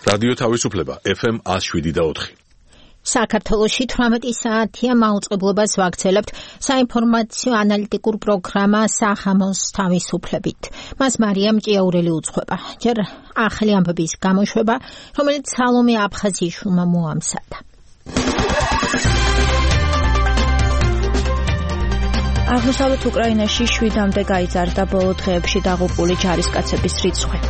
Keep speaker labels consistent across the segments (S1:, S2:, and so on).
S1: რადიო თავისუფლება FM 107.4.
S2: საქართველოში 18 საათია მაუწყებლობას ვაგრძელებთ საინფორმაციო ანალიტიკურ პროგრამა სახამოს თავისუფლებით. მას მარიამ ჭიაურელი უძღვება. ჯერ ახალი ამბების გამოშვება, რომელიც სალომე აფხაზიშვილმა მოამზადა.
S3: აღმოსავლეთ უკრაინაში 7-მდე გაიზარდა ბოლო დღეებში დაღუპული ჯარისკაცების რიცხვი.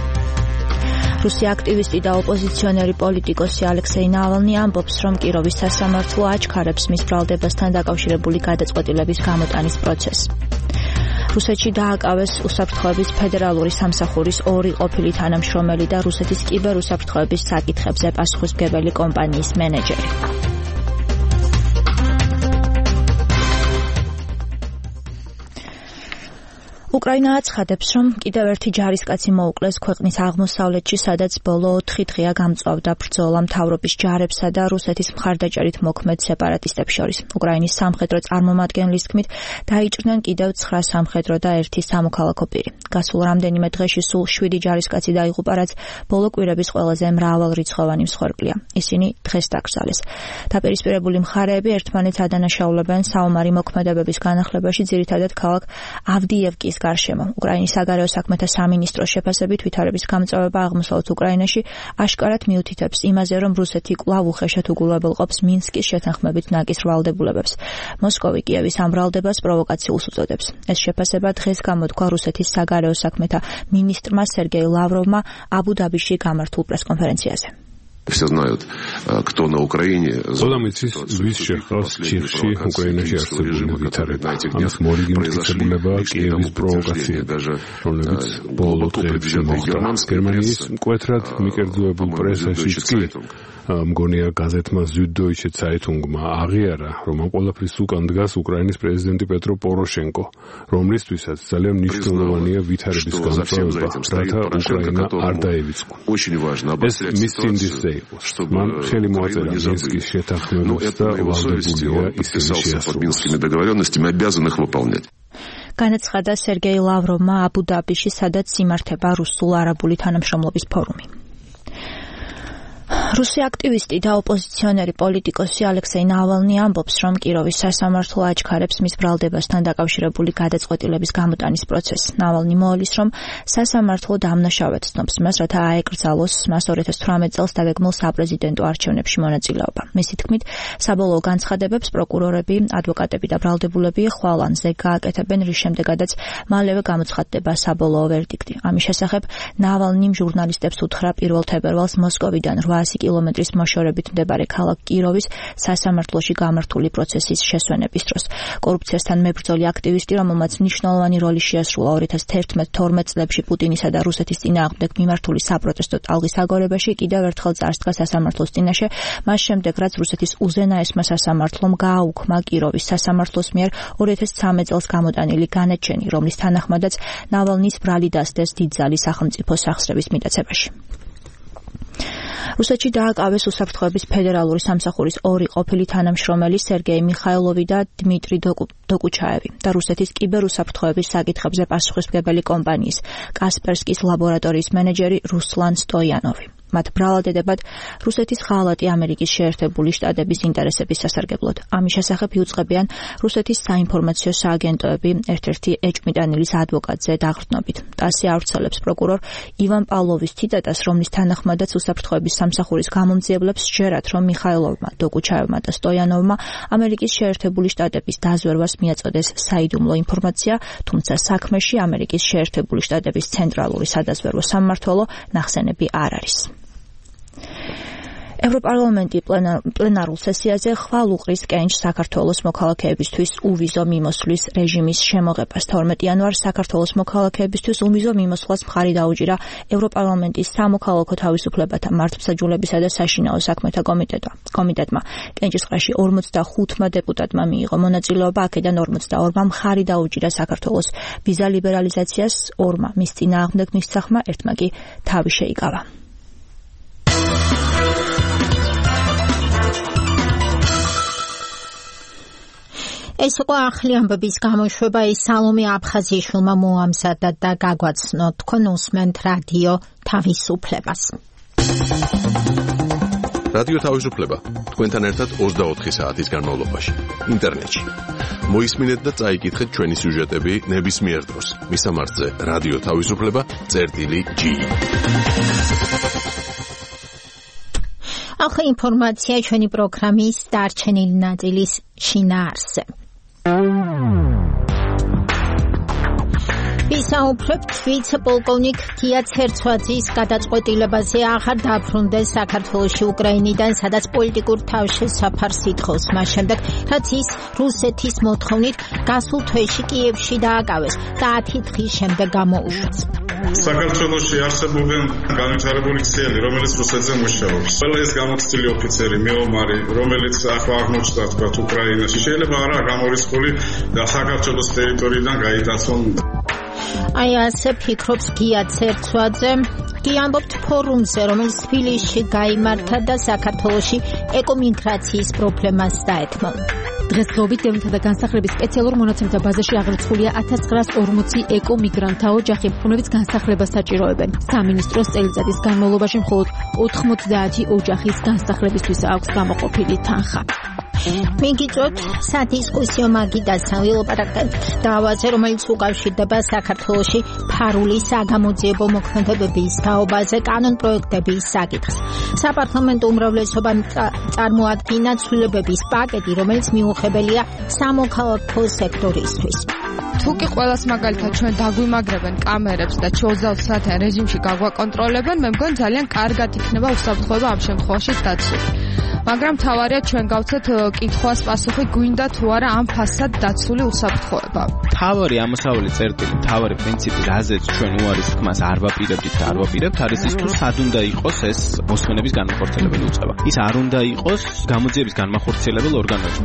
S3: რუსი აქტივისტი და ოპოზიციონერი პოლიტიკოსი ალექსეი ნავალნი ამბობს, რომ კიროვის სასამართლო აჩქარებს მის ბრალდებასთან დაკავშირებული გადაწყვეტილების გამოტანის პროცესს. რუსეთში დააკავეს უსაფრთხოების ფედერალური სამსახურის 2 ყოფილი თანამშრომელი და რუსეთის კიბერუსაფრთხოების საკითხებზე პასუხისმგებელი კომპანიის მენეჯერი. უკრაინა აცხადებს, რომ კიდევ ერთი ჯარისკაცი მოუკლეს ქვეყნის აღმოსავლეთში, სადაც ბოლო 4 დღეა გამწვავდა ბრძოლა მთავრობის ჯარებსა და რუსეთის მხარდაჭერით მოქმედ სეპარატისტებს შორის. უკრაინის სამხედრო წარმომადგენლის თქმით, დაიჭრნენ კიდევ 9 სამხედრო და 1 სამოქალაქო პირი. გასულ რამდენიმე დღეში სულ 7 ჯარისკაცი დაიღუპა, რაც ბოლო კვირების ყველაზე მრავალრიცხოვანი მსხვერპლია. ისინი დღეს დაკრძალეს. დაპირისპირებული მხარეები ერთმანეთს ადანაშაულებენ საომარი მოქმედებების განახლებაში, ძირითადად ქალაქ ავდიევკის გარშემო. უკრაინის საგარეო საქმეთა სამინისტროს შეფასებით ვითარების გამწვავება აღმოსავლეთ უკრაინაში აშკარად მიუთითებს იმაზე, რომ რუსეთი კვლავ უხეშად უგულებელყოფს მინსკის შეთანხმებით ნაკის ბრალდებულებებს. მოსკოვი კიევის ამ ბრალდებას პროვოკაციულს უწოდებს. ეს შეფასება დღეს გამოთქვა რუსეთის საგარეო საქმეთა მინისტრმა სერგეი ლავროვმა აბუ-დაბიში გამართულ პრესკონფერენციაზე.
S4: Все знают, кто на Украине.
S5: Зодамიცის ვის შეხვავს ჩიხში უკრაინაში არსებული ვითარება. ამის მორიგინებულება კიევის პროვოკაციები, რომლებიც ბოლო დღეებში მოხდა. გერმანიის მკვეთრად მიკერძოებულ პრესაშიც კი მგონია გაზეთმა Süddeutsche Zeitungმა აღიარა, რომ ამ ყველაფრის უკან დგას უკრაინის პრეზიდენტი პეტრო პოროშენკო, რომლისთვისაც ძალიან მნიშვნელოვანია ვითარების განმტკიცება, რათა უკრაინა არ დაევიწყო. ეს მის წინდისზე მან ხელი მოაწერა მინსკის შეთანხმებებს და ვალდებულია ისინი შეასრულოს.
S3: განაცხადა სერგეი ლავროვმა აბუ-დაბიში, სადაც იმართება რუსულ-არაბული თანამშრომლობის ფორუმი. რუსი აქტივისტი და ოპოზიციონერი პოლიტიკოსი ალექსეი ნავალნი ამბობს, რომ კიროვის სასამართლო აჩქარებს მის ბრალდებასთან დაკავშირებული გადაწყვეტილების გამოტანის პროცესს. ნავალნი მოალის, რომ სასამართლო დამნაშავედ ცნობს მას, რათა აეკრძალოს მას 2018 წელს დაგეგმილ საპრეზიდენტო არჩევნებში მონაწილეობა. მისი თქმით, საბოლოო განცხადებებს პროკურორები, ადვოკატები და ბრალდებულები ხვალანზე გააკეთებენ, რის შემდეგაც მალევე გამოცხადდება საბოლოო ვერდიქტი. ამის შესახებ ნავალნიმ ჟურნალისტებს უთხრა 1 თებერვალს მოსკოვიდან 800 კილომეტრის მოშორებით მდებარე ქალაქ კიროვის სასამართლოში გამართული პროცესის შესვენების დროს. კორუფციასთან მებრძოლი აქტივისტი, რომელმაც მნიშვნელოვანი როლი შეასრულა 2011-12 წლებში პუტინისა და რუსეთის წინააღმდეგ მიმართული საპროტესტო ტალღის აგორებაში, კიდევ ერთხელ წარსდგა სასამართლოს წინაშე, მას შემდეგ, რაც რუსეთის უზენაესმა სასამართლომ გააუქმა კიროვის სასამართლოს მიერ 2013 წელს გამოტანილი განაჩენი, რომლის თანახმადაც ნავალნის ბრალი დასდეს დიდძალი სახელმწიფო სახსრების მიტაცებაში. რუსეთში დააკავეს უსაფრთხოების ფედერალური სამსახურის 2 ყოფილი თანამშრომელი სერგეი მიხაილოვი და დმიტრი დოკუჩაევი და რუსეთის კიბერუსაფრთხოების საკითხებზე პასუხისმგებელი კომპანიის კასპერსკის ლაბორატორიის მენეჯერი რუსლან სტოიანოვი. მათ ბრალდებად რუსეთის ღალატი ამერიკის შეერთებული შტატების ინტერესების სასარგებლოდ. ამის შესახებ იუწყებიან რუსეთის საინფორმაციო სააგენტოები ერთ-ერთი ეჭვმიტანილის ადვოკატზე დაღრდნობით. ტასი ავრცელებს პროკურორ ივან პავლოვის ციტატას, რომლის თანახმადაც უსაფრთხოების სამსახურის გამომძიებლებს სჯერათ, რომ მიხაილოვმა, დოკუჩაევმა და სტოიანოვმა ამერიკის შეერთებული შტატების დაზვერვას მიაწოდეს საიდუმლო ინფორმაცია, თუმცა საქმეში ამერიკის შეერთებული შტატების ცენტრალური სადაზვერვო სამმართველო ნახსენები არ არის. ევროპარლამენტი პლენარულ სესიაზე ხვალ უყრის კენჭს საქართველოს მოქალაქეებისთვის უვიზო მიმოსვლის რეჟიმის შემოღებას. 12 იანვარს საქართველოს მოქალაქეებისთვის უვიზო მიმოსვლას მხარი დაუჭირა ევროპარლამენტის სამოქალაქო თავისუფლებათა მართლმსაჯულებისა და საშინაო საქმეთა კომიტეტმა. კენჭისყრაში 45 დეპუტატმა მიიღო მონაწილეობა, აქედან 42-მა მხარი დაუჭირა საქართველოს ვიზა ლიბერალიზაციას, 2-მა მის წინააღმდეგ მისცახმა, 1-მა კი თავი შეიკავა.
S2: ეს იყო ახალი ამბების გამოშვება, ის სალომე აფხაზიშვილმა მოამზადა და გაგვაცნო. თქვენ უსმენთ რადიო თავისუფლებას.
S1: რადიო თავისუფლება თქვენთან ერთად 24 საათის განმავლობაში ინტერნეტში. მოისმინეთ და წაიკითხეთ ჩვენი სიუჟეტები ნებისმიერ დროს. მისამართზე რადიო თავისუფლება.g.
S2: ახლა ინფორმაცია ჩვენი პროგრამის დარჩენილი ნაწილის შინაარსზე. ვისაუბრებთ ვიცე-პოლკოვნიკ გია ცერცვაძის გადაწყვეტილებაზე აღარ დაბრუნდეს საქართველოში უკრაინიდან, სადაც პოლიტიკურ თავშესაფარს ითხოვს მას შემდეგ, რაც ის რუსეთის მოთხოვნით გასულ თვეში კიევში დააკავეს და 10 დღის შემდეგ გამოუშვეს.
S6: საქართველოში არსებობენ განვითარებული ქსელი, რომელიც რუსეთზე მუშაობს. ყველა ეს გამოცდილი ოფიცერი, მეომარი, რომელიც ახლა აღმოჩნდა თქვათ უკრაინაში, შეიძლება არა გამორიცხული და საქართველოს ტერიტორიიდან გაიტაცონ.
S2: აი ასე ფიქრობს გია ცერცვაძე. კი ამბობთ ფორუმზე, რომელიც თბილისში გაიმართა და საქართველოში ეკომიგრაციის პრობლემას დაეთმო.
S7: დღესდღეობით დევნილთა და განსახლების სპეციალურ მონაცემთა ბაზაში აღრიცხულია 1940 ეკომიგრანტთა ოჯახი, რომლებიც განსახლებას საჭიროებენ. სამინისტროს წელიწადის განმავლობაში მხოლოდ 90 ოჯახის განსახლებისთვის აქვს გამოყოფილი თანხა. მიგიწოთ სადისკუსიო მაგიდასთან ვილაპარაკებთ დავაზე, რომელიც უკავშირდება საქართველოში ფარული საგამოძიებო მოქმედებების თაობაზე კანონპროექტების საკითხს. საპარლამენტო უმრავლესობამ წარმოადგინა ცვლილებების პაკეტი, რომელიც მიუღებელია სამოქალაქო სექტორისთვის.
S8: თუკი ყველას მაგალითად ჩვენ დაგვიმაგრებენ კამერებს და 24 საათიან რეჟიმში გაგვაკონტროლებენ, მე მგონი ძალიან კარგად იქნება უსაფრთხოება ამ შემთხვევაში დაცული. მაგრამ თავარია ჩვენ გავცეთ კითხვას პასუხი, გვინდა თუ არა ამ ფასად დაცული უსაფრთხოება.
S9: თავარი ამოსავალი წერტილი, თავარი პრინციპი, რაზეც ჩვენ უარის თქმას არ ვაპირებთ და არ ვაპირებთ, არის ის თუ სად უნდა იყოს ეს მოსმენების განმახორციელებელი უწყება. ის არ უნდა იყოს გამოძიების განმახორციელებელ ორგანოებში.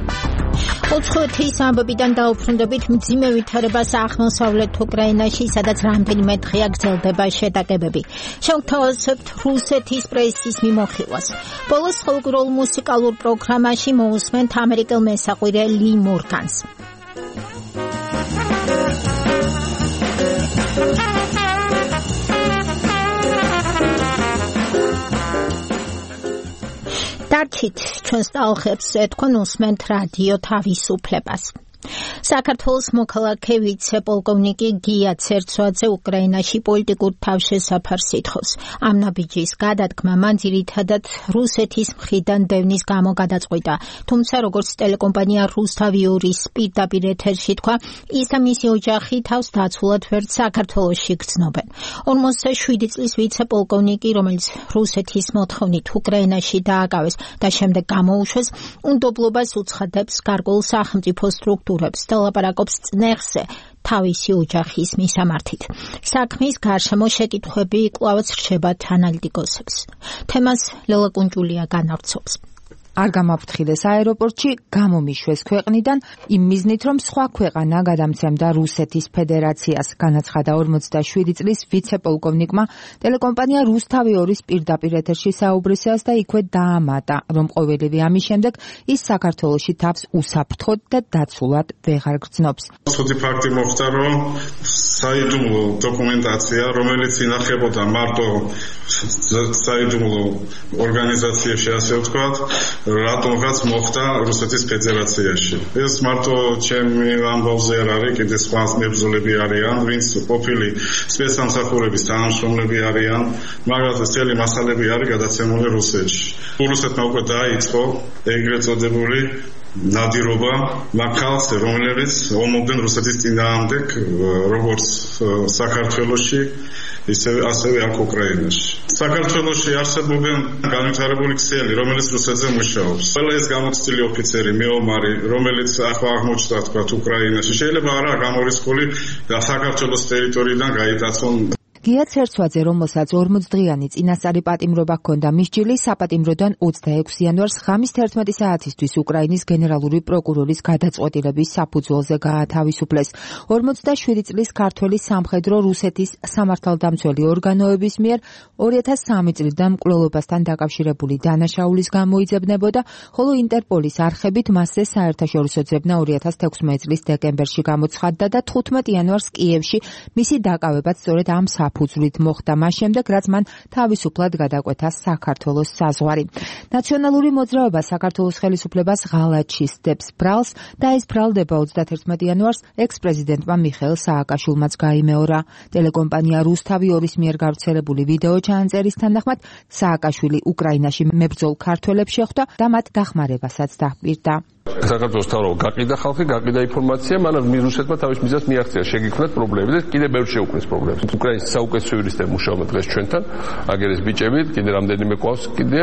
S2: უცხოეთის ამბებიდან დაუბრუნდებით მძიმე ვითარებას აღმოსავლეთ უკრაინაში, სადაც რამდენიმე დღეა გრძელდება შეტაკებები. შევთავაზებთ რუსეთის პრესის მიმოხილვას. ბოლოს ხალხურ მუსიკალურ პროგრამაში მოусმენთ ამერიკელ მესაყვირე ლი მორგანს. დარჩით ჩვენს ტალღებს ეთქვენ უსმენთ რადიო თავისუფლებას. საქართველოს მოქალაქე ვიცე-პოლკოვნიკი გია ცერცვაძე უკრაინაში პოლიტიკურ თავშესაფარს ითხოვს. ამ ნაბიჯის გადადგმა მან ძირითადად რუსეთის მხრიდან დევნის გამო გადაწყვიტა. თუმცა როგორც ტელეკომპანია რუსთავი-2-ის პირდაპირ ეთერში თქვა, ის და მისი ოჯახი თავს დაცულად ვერც საქართველოში გრძნობენ. 47 წლის ვიცე-პოლკოვნიკი, რომელიც რუსეთის მოთხოვნით უკრაინაში დააკავეს და შემდეგ გამოუშვეს, უნდობლობას უცხადებს გარკვეულ სახელმწიფო სტრუქტურებს და ლაპარაკობს წნეხზე თავისი ოჯახის მისამართით. საქმის გარშემო შეკითხვები კვლავაც რჩებათ ანალიტიკოსებს. თემას ლელა კუნჭულია განავრცობს.
S10: არ გამაფრთხილეს აეროპორტში, გამომიშვეს ქვეყნიდან იმ მიზნით, რომ სხვა ქვეყანა გადამცემდა რუსეთის ფედერაციას, განაცხადა 47 წლის ვიცე-პოლკოვნიკმა ტელეკომპანია რუსთავი-2-ის პირდაპირ ეთერში საუბრისას და იქვე დაამატა, რომ ყოველივე ამის შემდეგ ის საქართველოში თავს უსაფრთხოდ და დაცულად ვეღარ გრძნობს.
S6: ცუდი ფაქტი მოხდა, რომ საიდუმლო დოკუმენტაცია, რომელიც ინახებოდა მარტო საიდუმლო ორგანიზაციებში, ასე ვთქვათ, რატომღაც მოხდა რუსეთის ფედერაციაში. ეს მარტო ჩემი ამბავზე არ არის, კიდე სხვა მებრძოლები არიან, ვინც ყოფილი სპეცსამსახურების თანამშრომლები არიან, მაგრამ წელი მასალები არის გადაცემული რუსეთში. რუსეთმა უკვე დაიწყო ეგრეთ წოდებული ნადირობა მაქალზე, რომლებიც ომობენ რუსეთის წინააღმდეგ, როგორც საქართველოში, ასევე აქ უკრაინაში. საქართველოში არსებობენ განვითარებული ქსელი, რომელიც რუსეთზე მუშაობს. ყველა ეს გამოცდილი ოფიცერი, მეომარი, რომელიც ახლა აღმოჩნდა თქვათ უკრაინაში, შეიძლება არა გამორიცხული და საქართველოს ტერიტორიიდან გაიტაცონ.
S10: გია ცერცვაძე, რომელსაც 40 დღიანი წინასწარი პატიმრობა ჰქონდა მისჯილი, საპატიმროდან 26 იანვარს ღამის 11 საათისთვის უკრაინის გენერალური პროკურორის გადაწყვეტილების საფუძველზე გაათავისუფლეს. 47 წლის ქართველი სამხედრო რუსეთის სამართალდამცველი ორგანოების მიერ 2003 წლიდან მკვლელობასთან დაკავშირებული დანაშაულის გამოიძებნებოდა, ხოლო ინტერპოლის არხებით მასზე საერთაშორისო ძებნა 2016 წლის დეკემბერში გამოცხადდა და 15 იანვარს კიევში მისი დაკავებაც სწორედ ამ საფუძვლით მოხდა მას შემდეგ, რაც მან თავისუფლად გადაკვეთა საქართველოს საზღვარი. ნაციონალური მოძრაობა საქართველოს ხელისუფლებას ღალატში სდებს ბრალს და ეს ბრალდება 31 იანვარს ექს-პრეზიდენტმა მიხეილ სააკაშვილმაც გაიმეორა. ტელეკომპანია რუსთავი 2-ის მიერ გავრცელებული ვიდეო ჩანაწერის თანახმად სააკაშვილი უკრაინაში მებრძოლ ქართველებს შეხვდა და მათ დახმარებასაც დაჰპირდა.
S11: საქართველოს თავრობა გაყიდა ხალხი, გაყიდა ინფორმაცია, მანამ რუსეთმა თავის მიზანს მიაღწია, შეგიქმნათ პრობლემები და კიდე ბევრ შეუქმნის პრობლემებს. უკრაინის საუკეთესო იურისტები მუშაობენ დღეს ჩვენთან, აგერეს ბიჭებით, კიდე რამდენიმე ყავს კიდე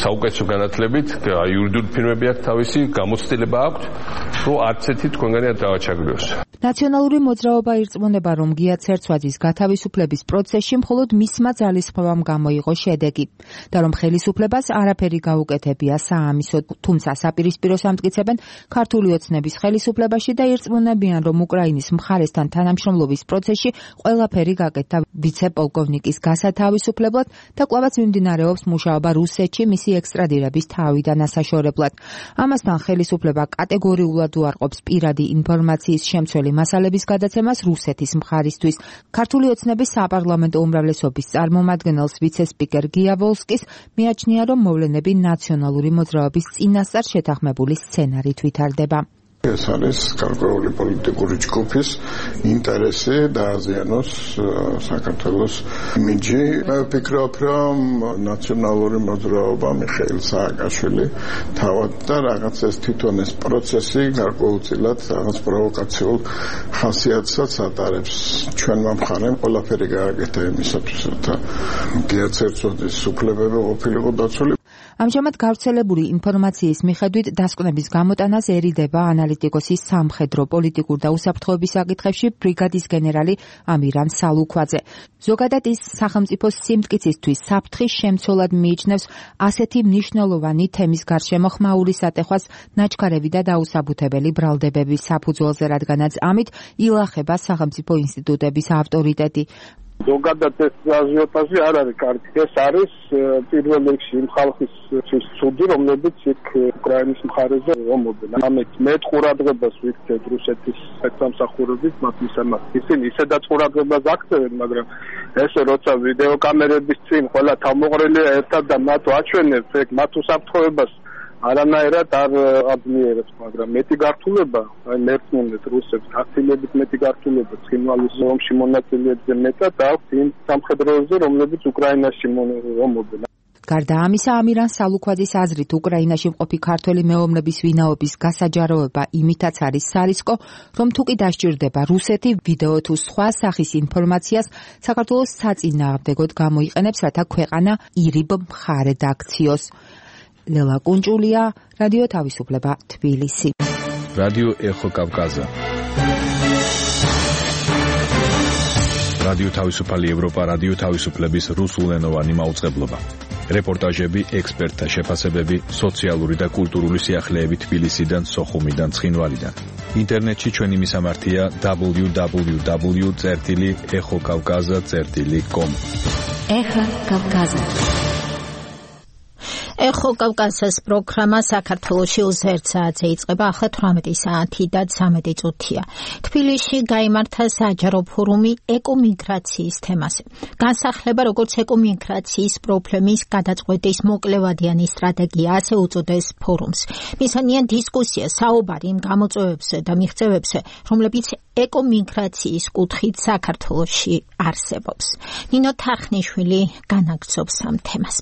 S11: საუკეთესო განათლებით, იურიდიული ფირმები აქვს თავისი, გამოცდილება აქვს, რომ არც ერთი თქვენგანი არ დავაჩაგრიოს.
S10: ნაციონალური მოძრაობა ირწმუნება, რომ გია ცერცვაძის გათავისუფლების პროცესში მხოლოდ მისმა ძალისხმევამ გამოიღო შედეგი და რომ ხელისუფლებას არაფერი გაუკეთებია საამისოდ, თუმცა საპირისპიროს ამტკიცებენ ქართული ოცნების ხელისუფლებაში და ირწმუნებიან, რომ უკრაინის მხარესთან თანამშრომლობის პროცესში ყველაფერი გაკეთდა ვიცე-პოლკოვნიკის გასათავისუფლებლად და კვლავაც მიმდინარეობს მუშაობა რუსეთში მისი ექსტრადირების თავიდან ასაშორებლად. ამასთან ხელისუფლება კატეგორიულად უარყოფს პირადი ინფორმაციის შემცველი მასალების გადაცემას რუსეთის მხარისთვის. ქართული ოცნების საპარლამენტო უმრავლესობის წარმომადგენელს ვიცე-სპიკერ გია ვოლსკის მიაჩნია, რომ მოვლენები ნაციონალური მოძრაობის წინასწარ შეთანხმებული სცენარით ვითარდება.
S12: ეს არის გარკვეული პოლიტიკური ჯგუფის ინტერესი დააზიანოს საქართველოს იმიჯი. მე ვფიქრობ, რომ ნაციონალური მოძრაობა მიხეილ სააკაშვილი თავად და რაღაც ეს თვითონ ეს პროცესი გარკვეულწილად რაღაც პროვოკაციულ ხასიათსაც ატარებს. ჩვენმა მხარემ ყველაფერი გააკეთა იმისათვის, რომ გია ცერცვაძის უფლებები ყოფილიყო დაცული.
S10: ამჟამად გავრცელებული ინფორმაციის მიხედვით დასკვნების გამოტანას ერიდება ანალიტიკოსის სამხედრო, პოლიტიკურ და უსაფრთხოების საკითხებში ბრიგადის გენერალი ამირან სალუქვაძე. ზოგადად ის სახელმწიფოს სიმტკიცისთვის საფრთხის შემცველად მიიჩნევს ასეთი მნიშვნელოვანი თემის გარშემო ხმაური სატეხვას ნაჩქარევი და დაუსაბუთებელი ბრალდებების საფუძველზე, რადგანაც ამით ილახება სახელმწიფო ინსტიტუტების ავტორიტეტი.
S13: ზოგადად ეს აზიოტაჟი არ არის კარგი. ეს არის პირველ რიგში იმ ხალხის ცუდი, რომლებიც იქ უკრაინის მხარეზე რომობენ. ამით მეტ ყურადღებას ვიქცევთ რუსეთის სპეცსამსახურების მათ მისამართი. ისინი ისედაც ყურადღებას აქცევენ, მაგრამ ესე როცა ვიდეო კამერების წინ ყველა თავმოყრილია ერთად და მათ აჩვენებს, ეგ მათ უსაფრთხოებას არანაირად არ აძლიერებს, მაგრამ მეტი გართულება, აი მერწმუნეთ რუსებს, ათილებით მეტი გართულება ცხინვალის ომში მონაწილეებზე მეტად აქვს იმ სამხედროებზე, რომლებიც უკრაინაში რომობენ.
S10: გარდა ამისა, ამირან სალუქვაძის აზრით, უკრაინაში მყოფი ქართველი მეომრების ვინაობის გასაჯაროება იმითაც არის სარისკო, რომ თუ კი დასჭირდება რუსეთი ვიდეო თუ სხვა სახის ინფორმაციას საქართველოს საწინააღმდეგოდ გამოიყენებს, რათა ქვეყანა ირიბ მხარედ აქციოს. ლელა კუნჭულია, რადიო თავისუფლება, თბილისი.
S14: რადიო ეხო კავკაზა. რადიო თავისუფალი ევროპა, რადიო თავისუფლების რუსულენოვანი მაუწყებლობა. რეპორტაჟები, ექსპერტთა შეფასებები, სოციალური და კულტურული სიახლეები თბილისიდან, სოხუმიდან, ცხინვალიდან. ინტერნეტში ჩვენი მისამართია www.ეხოკავკაზა.com.
S2: ეხა კავკაზა. ეხო კავკასიის პროგრამა საქართველოში 21 საათზე იწყება, ახლა 18 საათი და 13 წუთია. თბილისში გაიმართა საჯარო ფორუმი ეკომიგრაციის თემაზე. განსახლება როგორც ეკომიგრაციის პრობლემის გადაწყვეტის მოკლევადიანი სტრატეგია, ასე უწოდეს ფორუმს. მისანია დისკუსია, საუბარი იმ გამოწვევებზე და მიღწევებზე, რომლებიც ეკომიგრაციის კუთხით საქართველოში არსებობს. ნინო თარხნიშვილი განაგრძობს ამ თემას.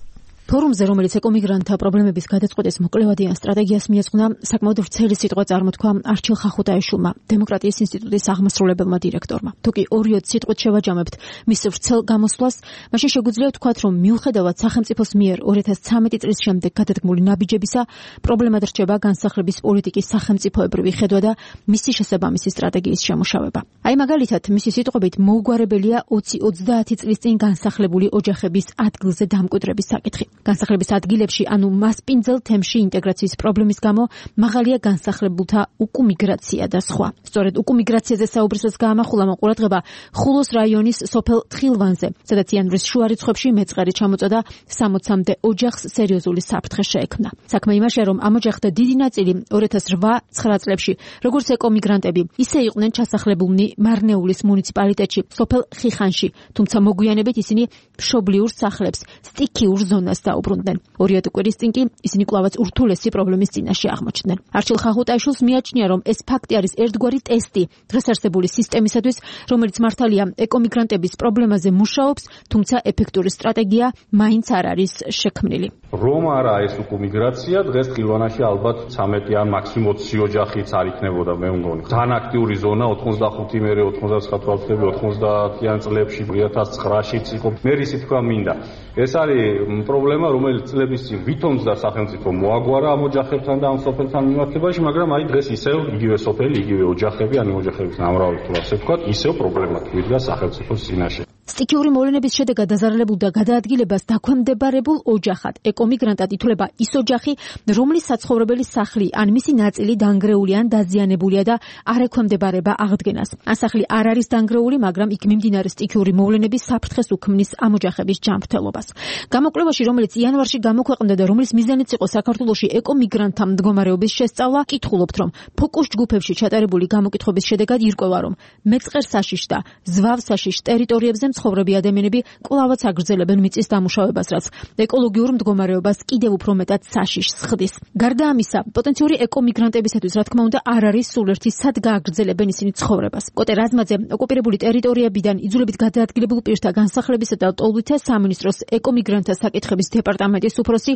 S7: ფორუმზე, რომელიც ეკომიგრანტთა პრობლემების გადაწყვეტის მოკლევადიან სტრატეგიას მიეძღვნა, საკმაოდ ვრცელი სიტყვა წარმოთქვა არჩილ ხახუტაიშვილმა, დემოკრატიის ინსტიტუტის აღმასრულებელმა დირექტორმა. თუ კი 2-3 სიტყვით შევაჯამებთ მის ვრცელ გამოსვლას, მაშინ შეგვიძლია ვთქვათ, რომ მიუხედავად სახელმწიფოს მიერ 2013 წლის შემდეგ გადადგმული ნაბიჯებისა, პრობლემად რჩება განსახლების პოლიტიკის სახელმწიფოებრივი ხედვა და მისი შესაბამისი სტრატეგიის შემუშავება. აი მაგალითად, მისი სიტყვებით მოუგვარებელია 20-30 წლის წინ განსახლებული ოჯახების ადგილზე დამკვიდრების საკითხი. განსახლების ადგილებში, ანუ მასპინძელ თემში ინტეგრაციის პრობლემის გამო მაღალია განსახლებულთა უკუმიგრაცია და სხვა. სწორედ უკუმიგრაციაზე საუბრისას გაამახვილა ყურადღება ხულოს რაიონის სოფელ თხილვანზე, სადაც იანვრის შუა რიცხვებში მეწყერი ჩამოწოდა 60-მდე ოჯახს სერიოზული საფრთხე შეექმნა. საქმე იმაშია, რომ ამ ოჯახთა დიდი ნაწილი 2008-9 წლებში, როგორც ეკომიგრანტები, ისე იყვნენ ჩასახლებულნი მარნეულის მუნიციპალიტეტში, სოფელ ხიხანში, თუმცა მოგვიანებით ისინი მშობლიურ სახლებს, სტიქიურ ზონას დაუბრუნდნენ. 2 კვირის წინ კი ისინი კვლავაც ურთულესი პრობლემის წინაშე აღმოჩნდნენ. არჩილ ხახუტაიშვილს მიაჩნია, რომ ეს ფაქტი არის ერთგვარი ტესტი დღეს არსებული სისტემისათვის, რომელიც მართალია ეკომიგრანტების პრობლემაზე მუშაობს, თუმცა ეფექტური სტრატეგია მაინც არ არის შექმნილი.
S15: რომ არა ეს უკუმიგრაცია, დღეს თხილვანაში ალბათ 13 ან მაქსიმუმ 20 ოჯახიც არ იქნებოდა, მე მგონი. ძალიან აქტიური ზონა 85 მერე 99 თვალთები 90-იან წლებში 2009-შიც იყო. მე ისე თქვა მინდა. ეს არის პრობლემა, რომელიც წლების წინ ვითომდა სახელმწიფო მოაგვარა ამ ოჯახებთან და ამ სოფელთან მიმართებაში, მაგრამ აი დღეს ისევ იგივე სოფელი, იგივე ოჯახები, ან ოჯახების ნამრავალი თუ ასე ვთქვათ, ისევ პრობლემა თვითონ სახელმწიფოს წინაშე.
S7: სტიქიური მოვლენების შედეგად დაზარალებულ და გადაადგილებას დაქვემდებარებულ ოჯახად ეკომიგრანტად ითვლება ის ოჯახი, რომლის საცხოვრებელი სახლი ან მისი ნაწილი დანგრეული ან დაზიანებულია და არ ექვემდებარება აღდგენას. ან სახლი არ არის დანგრეული, მაგრამ იქ მიმდინარე სტიქიური მოვლენების საფრთხეს უქმნის ამ ოჯახების ჯანმრთელობას. გამოკვლევაში, რომელიც იანვარში გამოქვეყნდა და რომლის მიზანიც იყო საქართველოში ეკომიგრანტთა მდგომარეობის შესწავლა, კითხულობთ, რომ ფოკუს ჯგუფებში ჩატარებული გამოკითხების შედეგად ირკვევა, რომ მეწყერსაშიშ და ზვავსაშიშ ტერიტორიებზე მცხოვრები ადამიანები კვლავაც აგრძელებენ მიწის დამუშავებას, რაც ეკოლოგიურ მდგომარეობას კიდევ უფრო მეტად საშიშს ხდის. გარდა ამისა, პოტენციური ეკომიგრანტებისათვის, რა თქმა უნდა, არ არის სულ ერთი სად გააგრძელებენ ისინი ცხოვრებას. კოტე რაზმაძე ოკუპირებული ტერიტორიებიდან იძულებით გადაადგილებულ პირთა განსახლებისა და ტოლვითა სამინისტროს ეკომიგრანტთა საკითხების დეპარტამენტის უფროსი